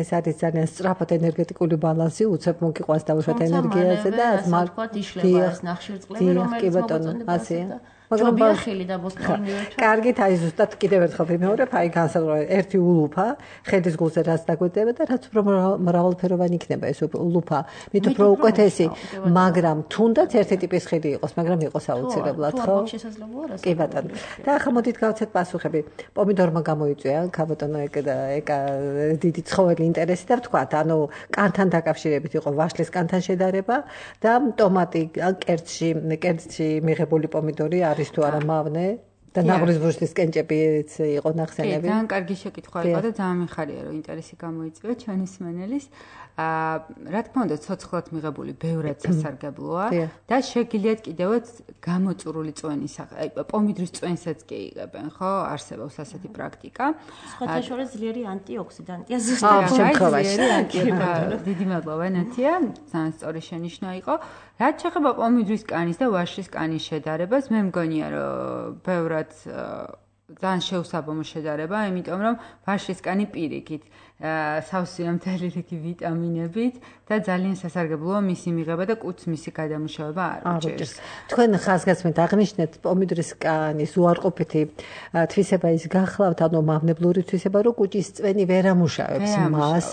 ეს არის ძალიან სწრაფად ენერგეტიკული ბალანსი, უცებ მოგიყვანს დავუშვათ ენერგიაზე და
თქვა იშლება ეს ნახშირწყლები, რომელიც მოგწონდება
მაგრამ
ბიოხილი და ბოსტონი მივეჩვა.
კარგით, აი ზუსტად კიდევ ერთხელ ვიმეორებ, აი განსაზღვრა ერთი ულუფა, ხედის გულზე რაც დაგვედება და რაც უფრო მრავალფეროვანი იქნება ეს ულუფა, მით უფრო უკეთესი, მაგრამ თუნდაც ერთი ტიპის ხილი იყოს, მაგრამ იყოს აუცილებლად, ხო? კი ბატონო. და ახლა მოდით გავცეთ პასუხები. პომიდორმა გამოიწვია ქალბატონო ეკა დიდი ცხოველი ინტერესი და ვთქვათ, ანუ კანთან დაკავშირებით იყო ვაშლის კანთან შედარება და ტომატი კერძში მიღებული პომიდორი არის თუ არა მავნე და ნაღრის ბუშტის კენჭებიც იყო ნახსენები.
ძალიან კარგი შეკითხვა იყო და ძალიან მიხარია რომ ინტერესი გამოიწვია ჩვენი მსმენელის. რა თქმა უნდა, ცოცხლად მიღებული ბევრად სასარგებლოა და შეგიძლიათ კიდევაც გამოწურული წვენის, აი პომიდრის წვენსაც კი იღებენ, ხო? არსებობს ასეთი პრაქტიკა.
სხვათა შორის ძლიერი ანტიოქსიდანტია ზუსტად.
დიდი მადლობა ნათია, ძალიან სწორი შენიშვნა იყო. რაც შეეხება პომიდრის კანის და ვაშლის კანის შედარებას, მე მგონია რომ ბევრად ძალიან შეუსაბამო შედარება, იმიტომ რომ ვაშლის კანი პირიქით სავსეა მთელი რიგი ვიტამინებით და ძალიან სასარგებლოა მისი მიღება და კუც მისი გადამუშავება არ უჭერს.
თქვენ ხაზგასმით აღნიშნეთ პომიდრის კანის უარყოფითი თვისება ის გახლავთ, ანუ მავნებლური თვისება, რომ კუჭის წვენი ვერ ამუშავებს მას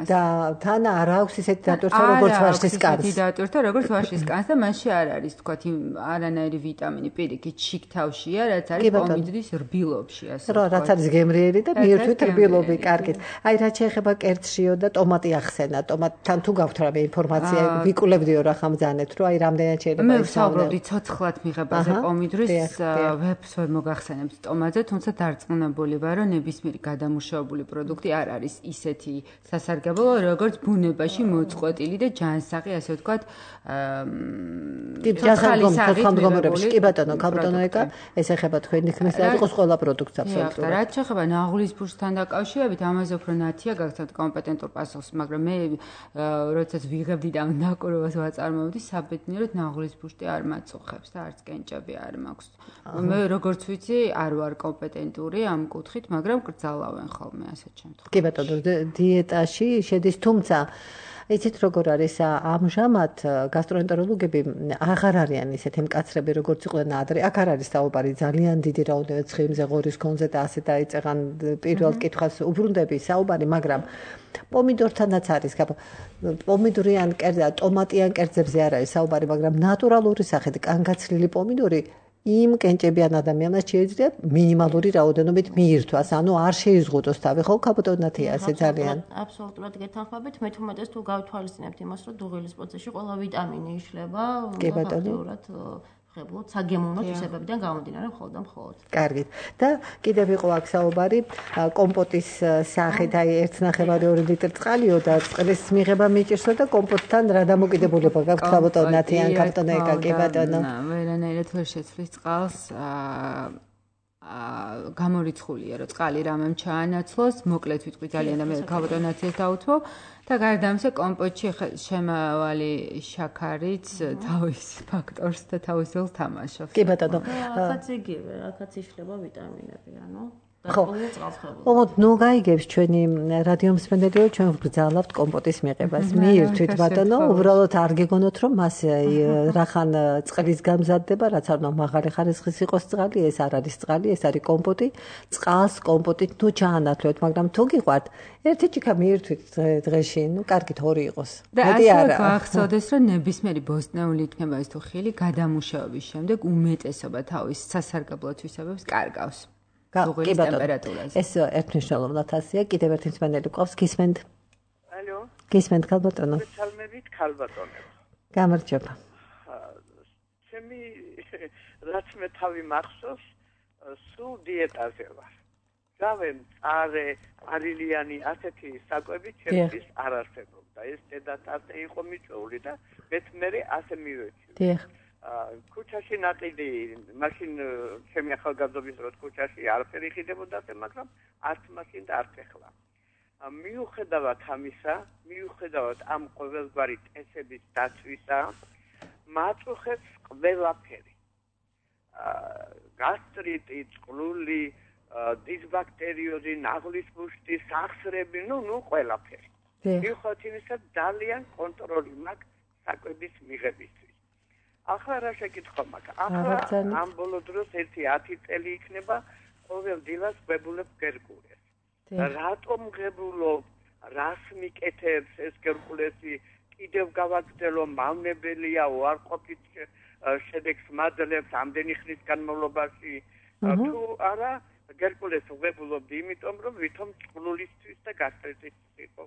და თან არ აქვს ისეთი დატვირთვა როგორც ვაშლის კანს.
ისეთი დატვირთვა როგორც ვაშლის კანს და მასში არ არის თქვათ არანაირი ვიტამინი პირიქით შიგთავშია, რაც არის პომიდრის რბილობში, ასე
ვთქვათ. რაც არის გემრიელი და მიერთვით რბილობი, კარგით. აი რაც შეეხება კერძშიო და ტომატი ახსენა, ტომატთან თუ გაქვთ რამე ინფორმაცია, ვიკულებდიო რა ხამძანეთ, რომ აი რამდენად შეიძლება
მე ვსაუბრობდი ცოცხლად მიღებაზე პომიდრის, ვებს ვერ მოგახსენებთ ტომატზე, თუმცა დარწმუნებული ვარ, რომ ნებისმიერი გადამუშავებული პროდუქტი არ არის ისეთი სასარგებლო, როგორც ბუნებაში მოწყვეტილი და ჯანსაღი, ასე ვთქვათ,
ხალხამდგომარეობის. კი ბატონო, ქალბატონო ეკა, ეს ეხება თქვენი თქმის და იყოს ყველა პროდუქტს აბსოლუტურად.
რაც შეეხება ნაღლის ბუშტთან დაკავშირებით, ამაზე უფრო ნათია გაგცემთ კომპეტენტურ პასუხს, მაგრამ მე როდესაც ვიღებდი და ნაკურებას ვაწარმოებდი, საბედნიეროდ ნაღლის ბუშტი არ მაწუხებს და არც კენჭები არ მაქვს. მე როგორც ვიცი, არ ვარ კომპეტენტური ამ კუთხით, მაგრამ კრძალავენ ხოლმე ასეთ შემთხვევაში.
კი ბატონო, დიეტაში შედის, თუმცა იცით როგორ არის ამჟამად გასტროენტეროლოგები აღარ არიან ისეთი მკაცრები როგორც იყვნენ ადრე. აქ არ არის საუბარი ძალიან დიდი რაოდენობით ცხიმზე, ღორის კონზე და ასე დაიწყან პირველ კითხვას უბრუნდები საუბარი, მაგრამ პომიდორთანაც არის პომიდორიან კერძზე, ტომატიან კერძებზე არ არის საუბარი, მაგრამ ნატურალური სახით კანგაცლილი პომიდორი იმ კენჭებიან ადამიანს შეიძლება მინიმალური რაოდენობით მიირთვას, ანუ არ შეიზღუდოს თავი, ხო, ქალბატონათია ასე ძალიან.
აბსოლუტურად გეთანხმებით, მე თუმეტეს თუ გავთვალისწინებთ იმას, რომ დუღილის პროცესში ყველა ვიტამინი იშლება, ფაქტიურად ხებლოთ საგემოვნო თვისებებიდან გამომდინარე მხოლოდ და მხოლოდ.
კარგით. და კიდევ იყო აქ საუბარი კომპოტის სახით, აი 1.5 ლიტრი წყალიო და წყლის მიღება მიჭირსო და კომპოტთან რა დამოკიდებულება გაქვთ ქალბატონათი ან ქალბატონო ეკა, კი ბატონო.
ვერანაირად ვერ შეცვლის წყალს გამორიცხულია, რომ წყალი რამემ ჩაანაცვლოს, მოკლედ ვიტყვი ძალიან და მე ქალბატონაციას დავუთმო და გარდა ამისა კომპოტში შემავალი შაქარიც თავის ფაქტორს და თავის როლს თამაშობს.
კი ბატონო.
ახაც იგივე, ახაც იშლება ვიტამინები, ანუ
ხო, ნუ გაიგებს ჩვენი რადიო მსმენელი, რომ ჩვენ ვგრძალებთ კომპოტის მიღებას. მიირთვით ბატონო, უბრალოდ არ გეგონოთ, რომ მას რახან წყლის გამზადდება, რაც არ უნდა მაღალი ხარისხის იყოს წყალი, ეს არ არის წყალი, ეს არის კომპოტი. წყალს კომპოტით ნუ ჩაანათლოთ, მაგრამ თუ გიყვართ, ერთი ჭიქა მიირთვით დღეში, ნუ კარგით ორი იყოს.
მეტი არა. გახსოვდეს, რომ ნებისმიერი ბოსტნეული იქნება ეს თუ ხილი გადამუშავების შემდეგ უმეტესობა თავის სასარგებლო თვისებებს კარგავს.
კი ბატონო. ეს ერთმნიშვნელოვნად ასია, კიდევ ერთი მსმენელი გვყავს, გისმენთ?
ალო.
გისმენთ ქალბატონო?
მოგესალმებით ქალბატონო.
გამარჯობა.
ჩემი რაც მე თავი მახსოვს, სულ დიეტაზე ვარ. გავენ წარე, არილიანი ასეთი საკვები ჩემთვის არ არსებობდა. ეს დედატატე იყო მიჭეული და მე ასე მივეჭი.
დიახ.
ქუჩაში ნაყიდი, მაშინ ჩემი ახალგაზრდობის დროს ქუჩაში არაფერი ხიდებოდა, მაგრამ არც მაშინ და არც ახლა. მიუხედავად ამისა, მიუხედავად ამ ყოველგვარი წესების დაცვისა, მაწუხებს ყველაფერი. გასტრიტი, წყლული, დისბაქტერიოზი, ნაღლის ბუშტი, სახსრები, ნუ ყველაფერი. მიუხედავად იმისა, ძალიან კონტროლი მაქვს საკვების მიღებისთვის. ახლა რა შეკითხვა მაქვს? ახლა ამ ბოლო დროს 10 წელი იქნება ყოველ დილას გვებულებ გერკულეს. რატომ ღებულობ? რას მიკეთებს ეს გერკულესი? კიდევ გავაგრძელო მავნებელია უარყოფით შედეგს მაძლევს ამდენი ხნის განმავლობაში თუ არა გერკულეს ვღებულობდი იმიტომ რომ ვითომ წყლულისთვის და გასტრიტისთვის იყო.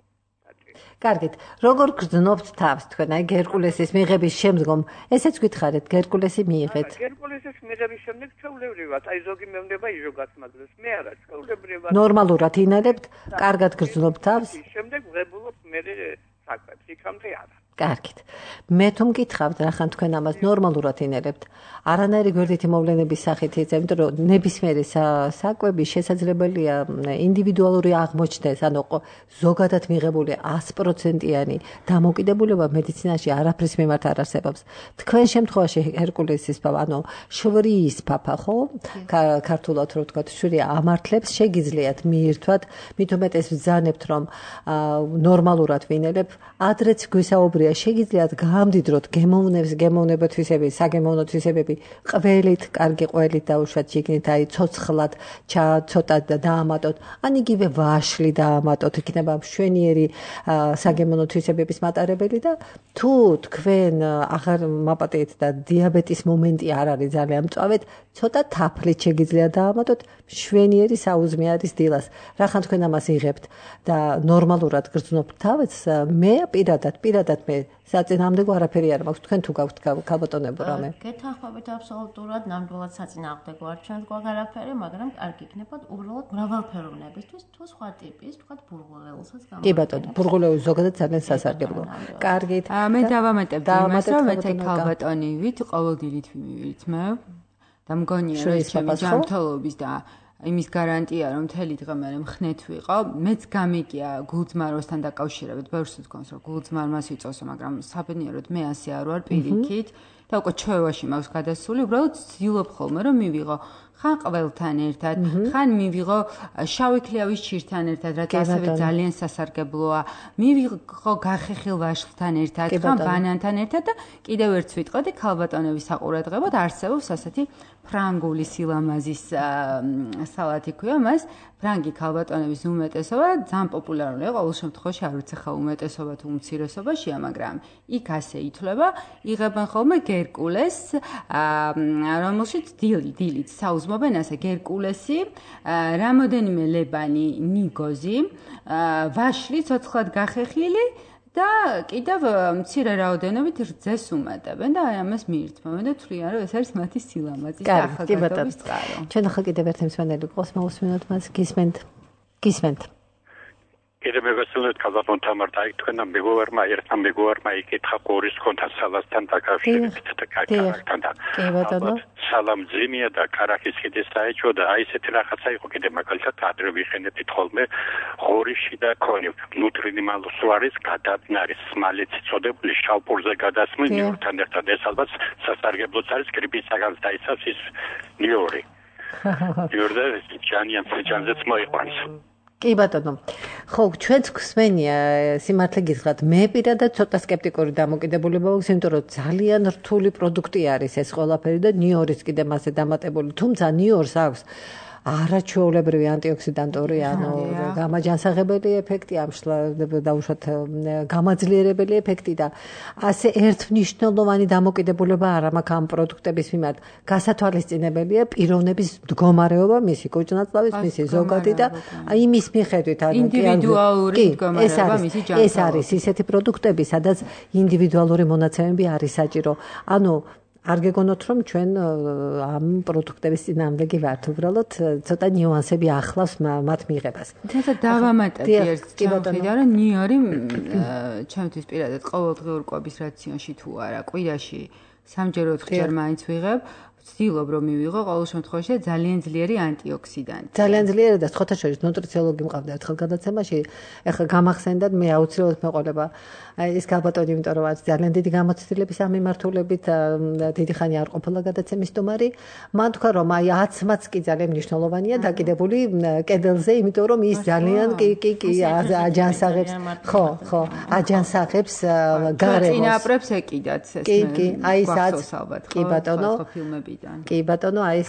კარგით, როგორ გრძნობთ თავს თქვენ აი გერკულესის მიღების შემდგომ? ესეც გითხარით, გერკულესი მიიღეთ.
გერკულესის მიღების შემდეგ ჩვეულებრივად, აი ზოგი მეუბნება იზოგაც მაგას, მე არა, ჩვეულებრივად.
ნორმალურად ინალებთ, კარგად გრძნობთ თავს?
შემდეგ ვღებულობ მე საკვებს, იქამდე არა.
კარგით. მე თუ მკითხავთ, რახან თქვენ ამას ნორმალურად ინერებთ, არანაირი გვერდითი მოვლენების სახით იწევთ, იმიტომ რომ ნებისმიერი საკვები შესაძლებელია ინდივიდუალური აღმოჩნდეს, ანუ ზოგადად მიღებული 100%-იანი დამოკიდებულება მედიცინაში არაფრის მიმართ არ არსებობს. თქვენ შემთხვევაში ჰერკულესის პაპა, ანუ შვრის პაპა, ხო? ქართულად რო ვთქვათ, შვრი ამართლებს, შეგიძლიათ მიირთვათ, მით უმეტეს ვძანებთ, რომ ნორმალურად ვინერებ, ადრეც გვისაუბრია შეგიძლიათ გამდიდროთ გემოვნება თვისები, საგემოვნო თვისებები, ყველით, კარგი ყველით დაუშვათ შიგნით, აი ცოცხლად, ცოტა დაამატოთ, ან იგივე ვაშლი დაამატოთ, იქნება მშვენიერი საგემოვნო თვისებების მატარებელი და თუ თქვენ აღარ მაპატიეთ და დიაბეტის მომენტი არ არის ძალიან მწვავედ, ცოტა თაფლით შეგიძლიათ დაამატოთ მშვენიერი საუზმე არის დილას. რახან თქვენ ამას იღებთ და ნორმალურად გრძნობთ თავს, მე პირადად მე საწინააღმდეგო არაფერი არ მაქვს. თქვენ თუ გაქვთ ქალბატონებო რამე?
გეთანხმებით აბსოლუტურად, ნამდვილად საწინააღმდეგო არ ჩვენს გვაქვს არაფერი, მაგრამ კარგი იქნება უბრალოდ მრავალფეროვნებისთვის, თუ სხვა ტიპის, თქვათ ბურღულეულსაც გამოიყენებთ.
კი ბატონო, ბურღულეულს ზოგადად ძალიან სასარგებლო. კარგით.
მე დავამატებდი იმას, რომ მეცე ქალბატონივით ყოველდღიურად ვიმივირთმევ და მგონია რომ ჩემი ჯანმრთელობის და იმის გარანტია რომ მთელი დღე მე მხნეთ ვიყო, მეც გამიგია გულძმაროსთან დაკავშირებით, ბევრს თქონს რომ გულძმარმას ვიწოსო, მაგრამ საბედნიეროდ მე ასე არ ვარ პირიქით და უკვე ჩვევაში მაქვს გადასული, უბრალოდ ვცდილობ ხოლმე რომ მივიღო ხან ყველთან ერთად, ხან მივიღო შავი ქლიავის ჭირთან ერთად, რაც ასევე ძალიან სასარგებლოა, მივიღო გახეხილ ვაშლთან ერთად, ხან ბანანთან ერთად და კიდევ ერთს ვიტყოდი ქალბატონების საყურადღებოდ არსებობს ასეთი ფრანგული სილამაზის სალათი ქვია მას, ფრანგი ქალბატონების უმეტესობა ძალიან პოპულარულია, ყოველ შემთხვევაში არ ვიცი ხა უმეტესობა თუ უმცირესობაშია, მაგრამ იქ ასე ითვლება, იღებენ ხოლმე გერკულეს, რომელშიც დილით საუზმობენ ასე გერკულესი, რამოდენიმე ლებანი ნიგოზი, ვაშლი ცოცხლად გახეხილი და კიდევ მცირე რაოდენობით რძეს უმატებენ და აი ამას მიირთმევენ და თვლიან რომ ეს არის მათი სილამაზის და ახალგაზრდობის წყარო.
ჩვენ ახლა კიდევ ერთ მსმენელი ყავს, მოусმინოთ მას, გისმენთ.
კიდევ მეგობრებთ, ქალბატონ თამარ და თქვენ ერთმა მეგობრმა იკითხა ყურის კონთან სალასთან დაკავშირებით და კარაქთან და სალამ ძიმია და კარაქის ხიდის საერთო და აი ესეთი რაღაცა იყო კიდე მაგალითად ადრე ვიხენებთ ხოლმე ყურიში და ქონი ნუტრინიმალს არის გადადნარის სმალეთი წოდებული შავპურზე გადასმული ნიორთან ერთად ეს ალბათ სასარგებლოც არის გრიპისაგან დაიცავს ის ნიორი. ნიორდა ჯანიანზეც მოიყვანს.
კი ბატონო. ხო, ჩვენც გვსმენია სიმართლე გითხრათ. მე პირადად ცოტა სკეპტიკური დამოკიდებულება მაქვს, იმიტომ რომ ძალიან რთული პროდუქტი არის ეს ყველაფერი და ნიორის კიდე მასე დამატებული. თუმცა ნიორს აქვს არაჩვეულებრივი ანტიოქსიდანტური, ანუ გამაჯანსაღებელი ეფექტი, დაუშვათ გამაძლიერებელი ეფექტი და ასე ერთმნიშვნელოვანი დამოკიდებულება არ მაქვს ამ პროდუქტების მიმართ. გასათვალისწინებელია პიროვნების მდგომარეობა, მისი კუჭნაწლავის, მისი ზოგადი და იმის მიხედვით, ანუ
ინდივიდუალური მდგომარეობა მისი ჯანმრთელობის.
ეს არის ისეთი პროდუქტები, სადაც ინდივიდუალური მონაცემები არის საჭირო. ანუ არ გეგონოთ რომ ჩვენ ამ პროდუქტების წინააღმდეგი ვართ, უბრალოდ ცოტა ნიუანსები ახლავს მათ მიღებას.
თუმცა დავამატებდი ერთ ჩემთვის, რომ ნიორი ჩემთვის პირადად ყოველდღიურ კვების რაციონში თუ არა, კვირაში 3-4 ხერ მაინც ვიღებ. ვცდილობ რომ მივიღო ყოველ შემთხვევაში ძალიან ძლიერი ანტიოქსიდანტი.
ძალიან ძლიერი და სხვათა შორის ნუტრიციოლოგი მყავდა ერთხელ გადაცემაში. ეხლა გამახსენდათ მე აუცილებლად მეყოლება ეს ქალბატონი, იმიტომ რომ არის ძალიან დიდი გამოცდილების ამ მიმართულებით, დიდი ხანი არ ყოფილა გადაცემის სტუმარი. მან თქვა რომ აი 10-მაც კი ძალიან მნიშვნელოვანია დაკიდებული კედელზე, იმიტომ რომ ის ძალიან კი აჯანსაღებს, ხო, აჯანსაღებს გარემოს.
წინაპრებს ეკიდათ ეს
აი ეს
ალბათ
კი ბატონო
ფილმებიდან.
კი ბატონო, აი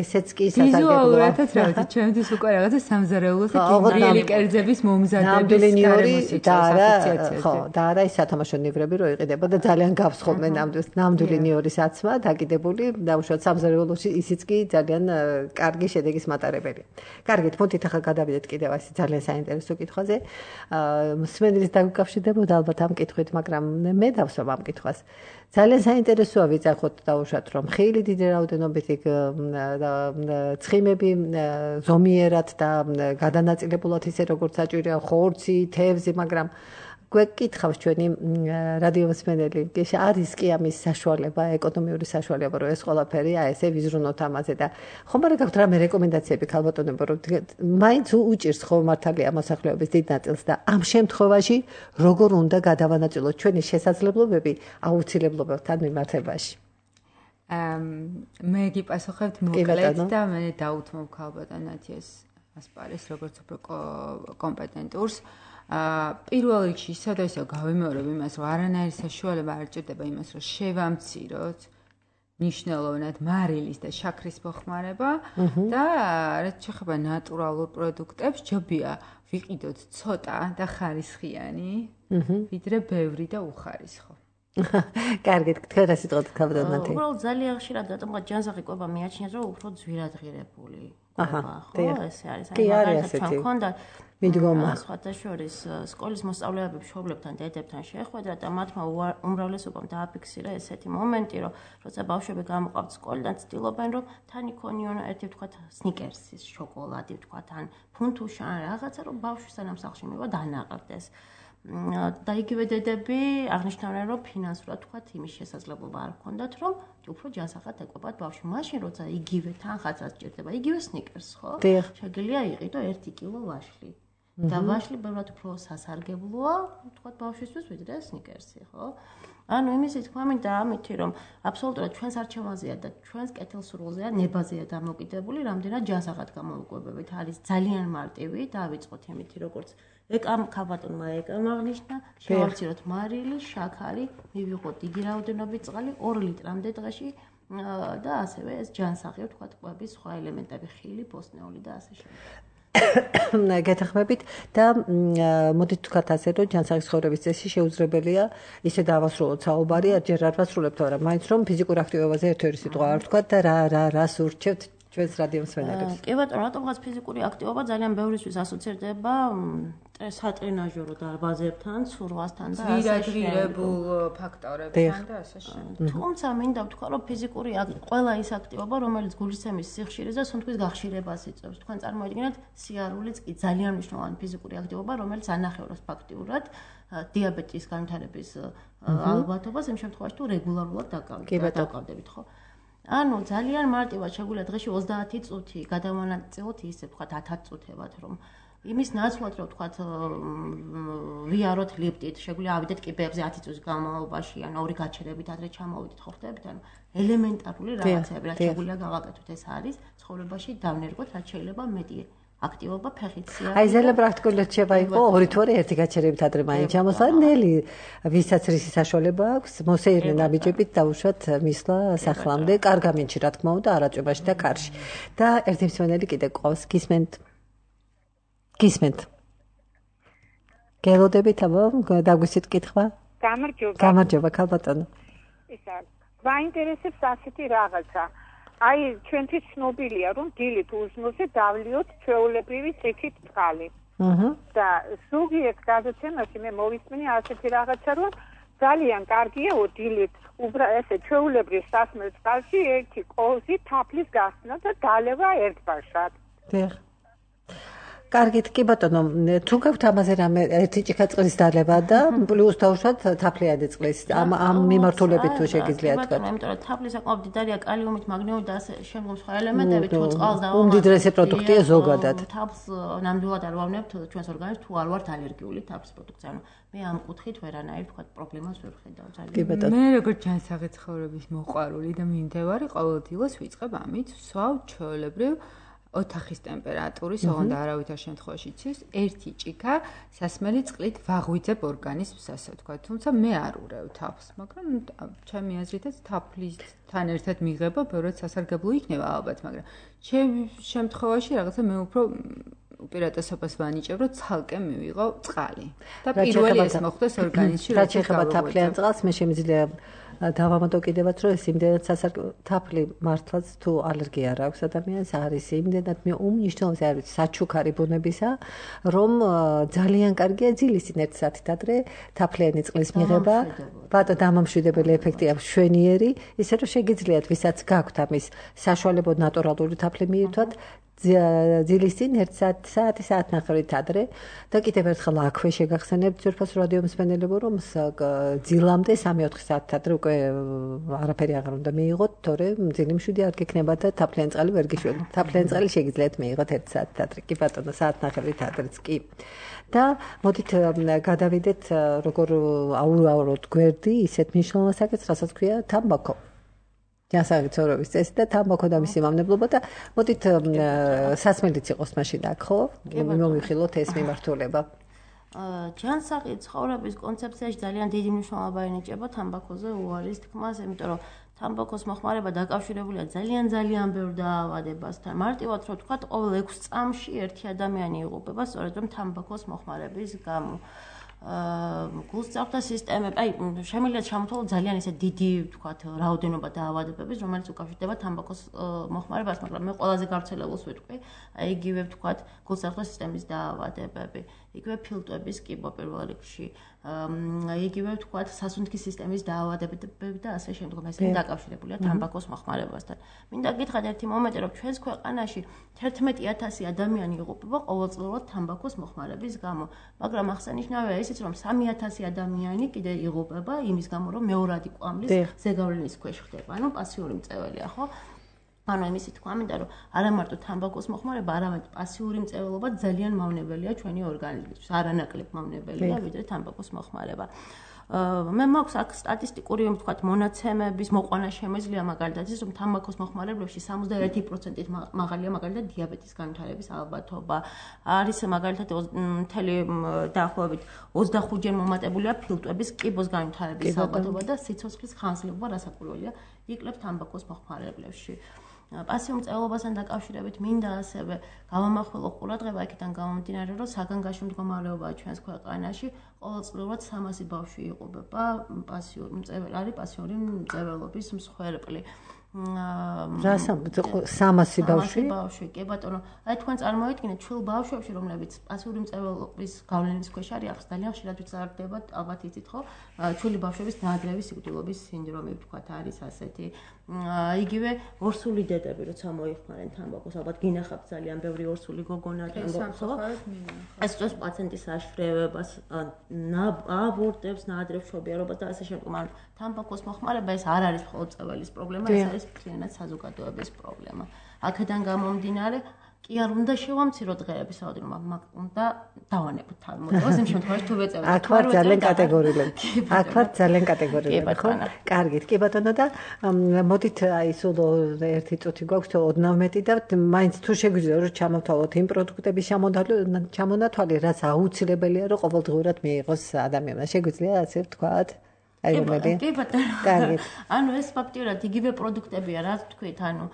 ესეც კი სასარგებლოა.
ვიზუალურადაც რა ვიცი, ჩემთვის უკვე რაღაცა სამზარეულოს და კინოების კერძების მომზადების
და არა ის სათამაშო ნივრები რო იყიდება და ძალიან გავს ხოლმე ნამდვილი ნიორის აცმა დაკიდებული და უშუალოდ სამზარეულოში ისიც კი ძალიან კარგი შედეგის მატარებელია. კარგით, მოდით ახლა გადავიდეთ კიდევ ასე ძალიან საინტერესო კითხვაზე. მსმენელის დაგუკავშირდებოდა ალბათ ამ კითხვით, მაგრამ მე დავსვამ ამ კითხვას. ძალიან საინტერესოა ვიცახოთ დაუშვათ რომ ხილი დიდი რაოდენობით ცხიმები ზომიერად და გადანაწილებულად ისე როგორც საჭიროა ხორცი, თევზი, მაგრამ გვეკითხავს ჩვენი რადიო მსმენელი, არის კი ამის საშუალება, ეკონომიური საშუალება, რომ ეს ყველაფერი ესე ვიზრუნოთ ამაზე და ხომ არა გაქვთ რამე რეკომენდაციები ქალბატონებო, რომ მაინც უჭირს ხო მართალია მოსახლეობის დიდ ნაწილს და ამ შემთხვევაში როგორ უნდა გადავანაწილოთ ჩვენი შესაძლებლობები აუცილებლობებთან მიმართებაში?
მე გიპასუხებთ მოკლედ და მე დაუთმობ ქალბატონ ნათიას ასპარეს როგორც უფრო კომპეტენტურს. პირველ რიგში ისევ გავიმეორებ იმას, რომ არანაირი საშუალება არ ჭირდება იმას, რომ შევამციროთ მნიშვნელოვნად მარილის და შაქრის მოხმარება და რაც შეეხება ნატურალურ პროდუქტებს, ჯობია ვიყიდოთ ცოტა და ხარისხიანი, ვიდრე ბევრი და უხარისხო.
კარგით, თქვენ რა სიტყვით ქალბატონ ნათია?
უბრალოდ ძალიან ხშირად რატომღაც ჯანსაღი კვება მიაჩნიათ, რომ უფრო ძვირადღირებული კვება, ხო, ესე არის.
კი არის ასეთი. მიდგომა.
სხვათა შორის სკოლის მოსწავლეები მშობლებთან, დედებთან შეხვედრა და მათმა უმრავლესობამ დააფიქსირა ესეთი მომენტი, რომ როცა ბავშვები გამოყავთ სკოლიდან, ცდილობენ რომ თან იქონიონ ერთი ვთქვათ სნიკერსის შოკოლადი ვთქვათ, ან ფუნთუშა ან რაღაცა, რომ ბავშვი სანამ სახლში მივა დანაყრდეს. და იგივე დედები აღნიშნავენ, რომ ფინანსურად ვთქვათ იმის შესაძლებლობა არ ჰქონდათ, რომ უფრო ჯანსაღად ეკვებათ ბავშვი. მაშინ როცა იგივე თანხასაც ჭირდება, იგივე სნიკერს, ხო? შეგიძლია იყიდო 1 კილო ვაშლი. და ვაშლი ბევრად უფრო სასარგებლოა, ვთქვათ ბავშვისთვის, ვიდრე სნიკერსი, ხო? ანუ იმისი თქვა მინდა ამითი, რომ აბსოლუტურად ჩვენს არჩევანზეა და ჩვენს კეთილსურვილზეა ნებაზეა დამოკიდებული, რამდენად ჯანსაღად გამოვიკვებებით. არის ძალიან მარტივი, დავიწყოთ იმითი, როგორც ეკამ ქალბატონმა აღნიშნა, შევამციროთ მარილი, შაქარი, მივიღოთ დიდი რაოდენობით წყალი 2 ლიტრამდე დღეში და ასევე ეს ჯანსაღი ვთქვათ კვების სხვა ელემენტები, ხილი, ბოსტნეული და ასე შემდეგ.
გეთახმებით და მოდით ვთქვათ ასე, რომ ჯანსაღი ცხოვრების წესი შეუძლებელია ისე დავასრულოთ საუბარი, ჯერ არ ვასრულებთ, მაგრამ მაინც რომ ფიზიკურ აქტივობაზე ერთ-ერთი სიტყვა არ ვთქვათ და რას ურჩევთ ჩვენს რადიო მსმენელებს.
კი ბატონო, რატომღაც ფიზიკური აქტივობა ძალიან ბევრისთვის ასოცირდება სატრენაჟერო დარბაზებთან, ცურვასთან და ასე შემდეგ.
ძვირადღირებულ ფაქტორებთან და ასე შემდეგ.
თუმცა მინდა ვთქვა, რომ ფიზიკური ყველა ის აქტივობა, რომელიც გულისცემის სიხშირეს და სუნთქვის გახშირებას იწვევს. თქვენ წარმოიდგინეთ, სიარულიც კი ძალიან მნიშვნელოვანი ფიზიკური აქტივობა, რომელიც ანახევრებს ფაქტიურად დიაბეტის განვითარების ალბათობას იმ შემთხვევაში, თუ რეგულარულად დაკავდებით, ხო? ანუ ძალიან მარტივად შეგვიძლია დღეში 30 წუთი გადავანაწილოთ ისე ვთქვათ 10 წუთებად, რომ იმის ნაცვლად რომ ვთქვათ ვიაროთ ლიფტით, შეგვიძლია ავიდეთ კიბეებზე 10 წუთის განმავლობაში, ან 2 გაჩერებით ადრე ჩამოვიდეთ, ხო ხდებით? ანუ ელემენტარული რაღაცები, რაც შეგვიძლია გავაკეთოთ, ეს არის ცხოვრებაში დავნერგოთ, რაც შეიძლება მეტი აქტივობა ფეხით სიარული.
აი ზელა პრაქტიკულად შევა იყო 2 ერთი გაჩერებით ადრე მაინც ჩამოსვლა, ნელი ვისაც რისი საშუალება აქვს, მოსეირნე ნაბიჯებით დაუშვათ მისვლა სახლამდე, კარგ ამინჩი რა თქმა უნდა, არაწვებაში და კარში. და ერთი მსმენელი კიდე ყავს, გისმენთ. გელოდებით აბა, დაგვისვით კითხვა? გამარჯობა, ქალბატონო.
ისა, მაინტერესებს ასეთი რაღაცა. აი ჩვენთვის ცნობილია რომ დილით უზმოზე დავლიოთ ჩვეულებრივი სიქით წყალი. და ზოგიერთ გადაცემაში მე მოვისმენი ასეთი რაღაცა რომ ძალიან კარგია დილით ესე ჩვეულებრივ სასმელ წყალში 1 კოლზი თაფლის გასცნა და დალევა ერთბაშად.
კარგით, კი ბატონო, თუ გაქვთ ამაზე რამე ერთი ჭიქა წყლის დალება და პლუს დავუშვათ თაფლიანი წყლის ამ მიმართულებით თუ შეგიძლიათ თქვა.
იმიტომ რომ თაფლი საკმაოდ დიდია კალიუმით, მაგნიუმით და ასე შემდგომ სხვა ელემენტებით, თუ წყალს დავამატებთ.
უმდიდრესი პროდუქტია ზოგადად.
თაფლს ნამდვილად არ ვავნებთ ჩვენს ორგანიზმს თუ არ ვართ ალერგიული თაფლის პროდუქტზე. ანუ მე ამ კუთხით ვერანაირ თქვა პრობლემას ვერ ვხედავ ძალიან.
მე როგორც ჯანსაღი ცხოვრების მოყვარული და მიმდევარი ყოველდღიურად ვიწყებ ამით, ვსვავ ჩვეულებრივ ოთახის ტემპერატურის, ოღონდ არავითარ შემთხვევაში იცის, ერთი ჭიქა სასმელი წყლით ვაღვიძებ ორგანიზმს, ასე ვთქვა. თუმცა მე არ ურევ თაფლს, მაგრამ ჩემი აზრითაც თაფლისთან ერთად მიღება ბევრად სასარგებლო იქნება ალბათ, მაგრამ შემთხვევაში რაღაცა მე უფრო უპირატესობას ვანიჭებ, რომ ცალკე მივიღო წყალი. და პირველი ეს მოხდეს ორგანიზმში,
რაც ეხება თაფლიან წყალს, მე შემიძლია დავამატო კიდევაც, რომ ეს იმდენად თაფლი მართლაც თუ ალერგია არ აქვს ადამიანს, არის იმდენად უმნიშვნელოვანესი არის საჩუქარი ბუნებისა, რომ ძალიან კარგია ძილისინ 1 საათით ადრე თაფლიანი წყლის მიღება. ბატონო, დამამშვიდებელი ეფექტია მშვენიერი, ისე რომ შეგიძლიათ, ვისაც გაქვთ ამის საშუალება ნატურალური თაფლი მიირთვათ, ძილისინ 1 საათი საათნახევრით ადრე და კიდევ ერთხელ აქვე შეგახსენებთ ძვირფას რადიო მსმენელებო, რომ ძილამდე 3-4 საათით ადრე უკვე არაფერი აღარ უნდა მიიღოთ, თორემ ძილი მშვიდი არ გექნება და თაფლიანი წყალი ვერ გიშვება. თაფლიანი წყალი შეგიძლიათ მიიღოთ 1 საათით ადრე. კი ბატონო, საათნახევრით ადრეც კი. და მოდით გადავიდეთ როგორ აურავოთ გვერდი ისეთ მნიშვნელოვან საკითხს, რასაც ქვია თამბაქო. ჯანსაღი ცხოვრების წესი და თამბაქო და მისი მავნებლობა და მოდით სასმელიც იყოს მაშინ აქ, ხო? მოვიხილოთ ეს მიმართულება.
ჯანსაღი ცხოვრების კონცეფციაში ძალიან დიდი მნიშვნელობა ენიჭება თამბაქოზე უარის თქმას, იმიტომ რომ თამბაქოს მოხმარება დაკავშირებულია ძალიან ბევრ დაავადებასთან. მარტივად რო ვთქვათ, ყოველ 6 წამში ერთი ადამიანი იღუპება სწორედ რომ თამბაქოს მოხმარების გამო. გულწრფთა სისტემები, აი შემიძლია ჩამოთვალოთ ძალიან ისე დიდი, ვთქვათ, რაოდენობა დაავადებების, რომელიც უკავშირდება თამბაქოს მოხმარებას, მაგრამ მე ყველაზე გავრცელებულს ვიტყვი, აი იგივე, ვთქვათ, გულწრფთა სისტემის დაავადებები, იგივე ფილტვების კიბო პირველ რიგში, იგივე, ვთქვათ, სასუნთქის სისტემის დაავადებები და ასე შემდგომ, ესენი დაკავშირებულია თამბაქოს მოხმარებასთან. მინდა გითხრათ ერთი მომენტი, რომ ჩვენს ქვეყანაში 11,000 ადამიანი იღუპება ყოველწლიურად თამბაქოს მოხმარების გამო, მაგრამ აღსანიშნავია ისიც, რომ 3,000 ადამიანი კიდე იღუპება იმის გამო, რომ მეორადი კვამლის ზეგავლენის ქვეშ ხდება, ანუ პასიური მწვერვალია, ხო? ანუ იმისი თქვა მინდა, რომ არა მარტო თამბაქოს მოხმარება, არამედ პასიური მწვერვალობა ძალიან მავნებელია ჩვენი ორგანიზმისთვის, არანაკლებ მავნებელია, ვიდრე თამბაქოს მოხმარება. მე მაქვს აქ სტატისტიკური, ვთქვათ, მონაცემების მოყვანა შემეძლია მაგალითად ის, რომ თამბაქოს მოხმარებლებში 71%-ით მაღალია მაგალითად დიაბეტის განვითარების ალბათობა. არის მაგალითად მთელი დაახლოებით 25-ჯერ მომატებულია ფილტვების კიბოს განვითარების ალბათობა და სიცოცხლის ხანძრობა რასაკვირველია იკლებს თამბაქოს მოხმარებლებში. პასიურ მწვერვალობასთან დაკავშირებით მინდა ასევე გავამახვილო ყურადღება იქიდან გამომდინარე, რომ საგანგაშო მდგომარეობაა ჩვენს ქვეყანაში, ყოველწლიურად 300 ბავშვი იღუპება პასიური მწვერვალობის მსხვერპლი.
300 ბავშვი?
კი ბატონო. აი თქვენ წარმოიდგინეთ, ჩვილ ბავშვებში, რომლებიც პასიური მწვერვალობის გავლენის ქვეშ არის, ძალიან ხშირად ვიზარდებათ, ალბათ იცით ხო? ჩვილი ბავშვების ნაადრევი სიკვდილობის სინდრომი, ვთქვათ, არის ასეთი. იგივე ორსული დედები, როცა მოიხმარენ თამბაქოს, ალბათ გინახავთ ძალიან ბევრი ორსული გოგონა თამბაქოს, ხო? ეს წოს პაციენტის აშრევებას, აბორტებს, ნაადრევს შობიარობას და ასე შემდგომ. ანუ თამბაქოს მოხმარება ეს არ არის მხოლოდ წეველის პრობლემა, ეს არის მთლიანად საზოგადოების პრობლემა. აქედან გამომდინარე, კი არ უნდა შევამციროთ დღეების რაოდენობა, უნდა დავანებოთ თავმოწევას იმ შემთხვევაში თუ ვეწევთ.
აქ ვარ ძალიან კატეგორიულად, ხო? კარგით, კი ბატონო და მოდით აი სულ ერთი წუთი გვაქვს, ოდნავ მეტი და მაინც თუ შეგვიძლია რომ ჩამოვთვალოთ იმ პროდუქტების ჩამონათვალი, რაც აუცილებელია რომ ყოველდღურად მიიღოს ადამიანმა. შეგვიძლია ასე ვთქვათ? აი რომელი?
კი ბატონო. ანუ ეს ფაქტიურად იგივე პროდუქტებია, რა თქვით, ანუ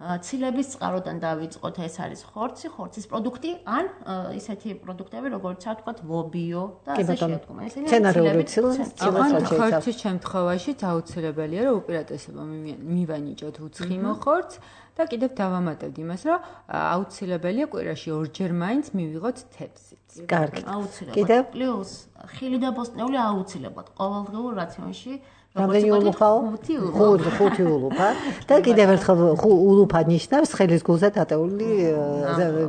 ცილების წყაროდან დავიწყოთ, ეს არის ხორცის პროდუქტი, ან ისეთი პროდუქტები, როგორც ვთქვათ, ლობიო და ასე შემდგომ. ესენი
ხორცის შემთხვევაში აუცილებელია, რომ უპირატესობა მივანიჭოთ უცხიმო ხორცს და კიდევ დავამატებთ იმას, რომ აუცილებელია კვირაში 2 ჯერ მაინც მივიღოთ თევზით.
კარგი.
აუცილებლად. პლუს ხილი და ბოსტნეული აუცილებლად ყოველდღიურ რაციონში
რამდენი ულუფაო? 5 ულუფა და კიდევ ერთხელ ულუფა ნიშნავს ხელის გულზე დატეული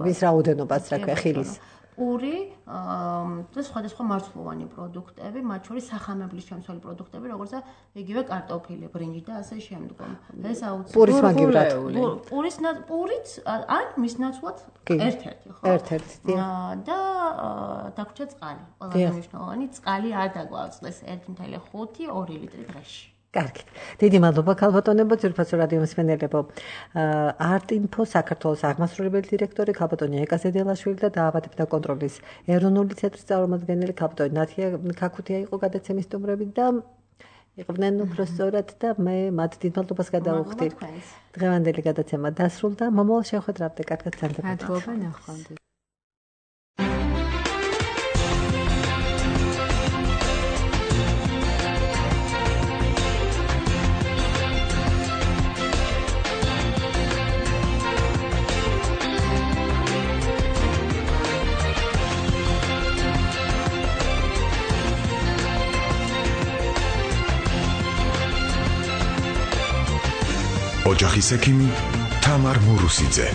მის რაოდენობას, რა ქვია, ხილის.
პური და სხვადასხვა მარცვლოვანი პროდუქტები, მათ შორის სახამებლის შემცველი პროდუქტები, როგორიცაა იგივე კარტოფილი, ბრინჯი და ასე შემდგომ. ეს აუცილებლად
პურის მაგივრად.
პურიც ან მის ნაცვლად ერთ-ერთი, ხო?
ერთ-ერთი.
და დაგვრჩა წყალი. ყველაზე მნიშვნელოვანი წყალი არ დაგვაწყდეს 1.5 2 ლიტრი დღეში.
კარგით. დიდი მადლობა ქალბატონებო, ძვირფასო რადიო მსმენელებო. არტინფო საქართველოს აღმასრულებელი დირექტორი ქალბატონი ეკა ზედელაშვილი და დაავადებათა კონტროლის ეროვნული ცენტრის წარმომადგენელი ქალბატონი ნათია ქაქუთია იყო გადაცემის სტუმრები და იყვნენ უბრალოდ და მე მათ დიდ მადლობას გადავუხდი. დღევანდელი გადაცემა დასრულდა. მომავალ შეხვედრამდე კარგად გრძელდებათ.
მადლობა, ნახვამდის.
ოჯახის ექიმი თამარ მურუსიძე.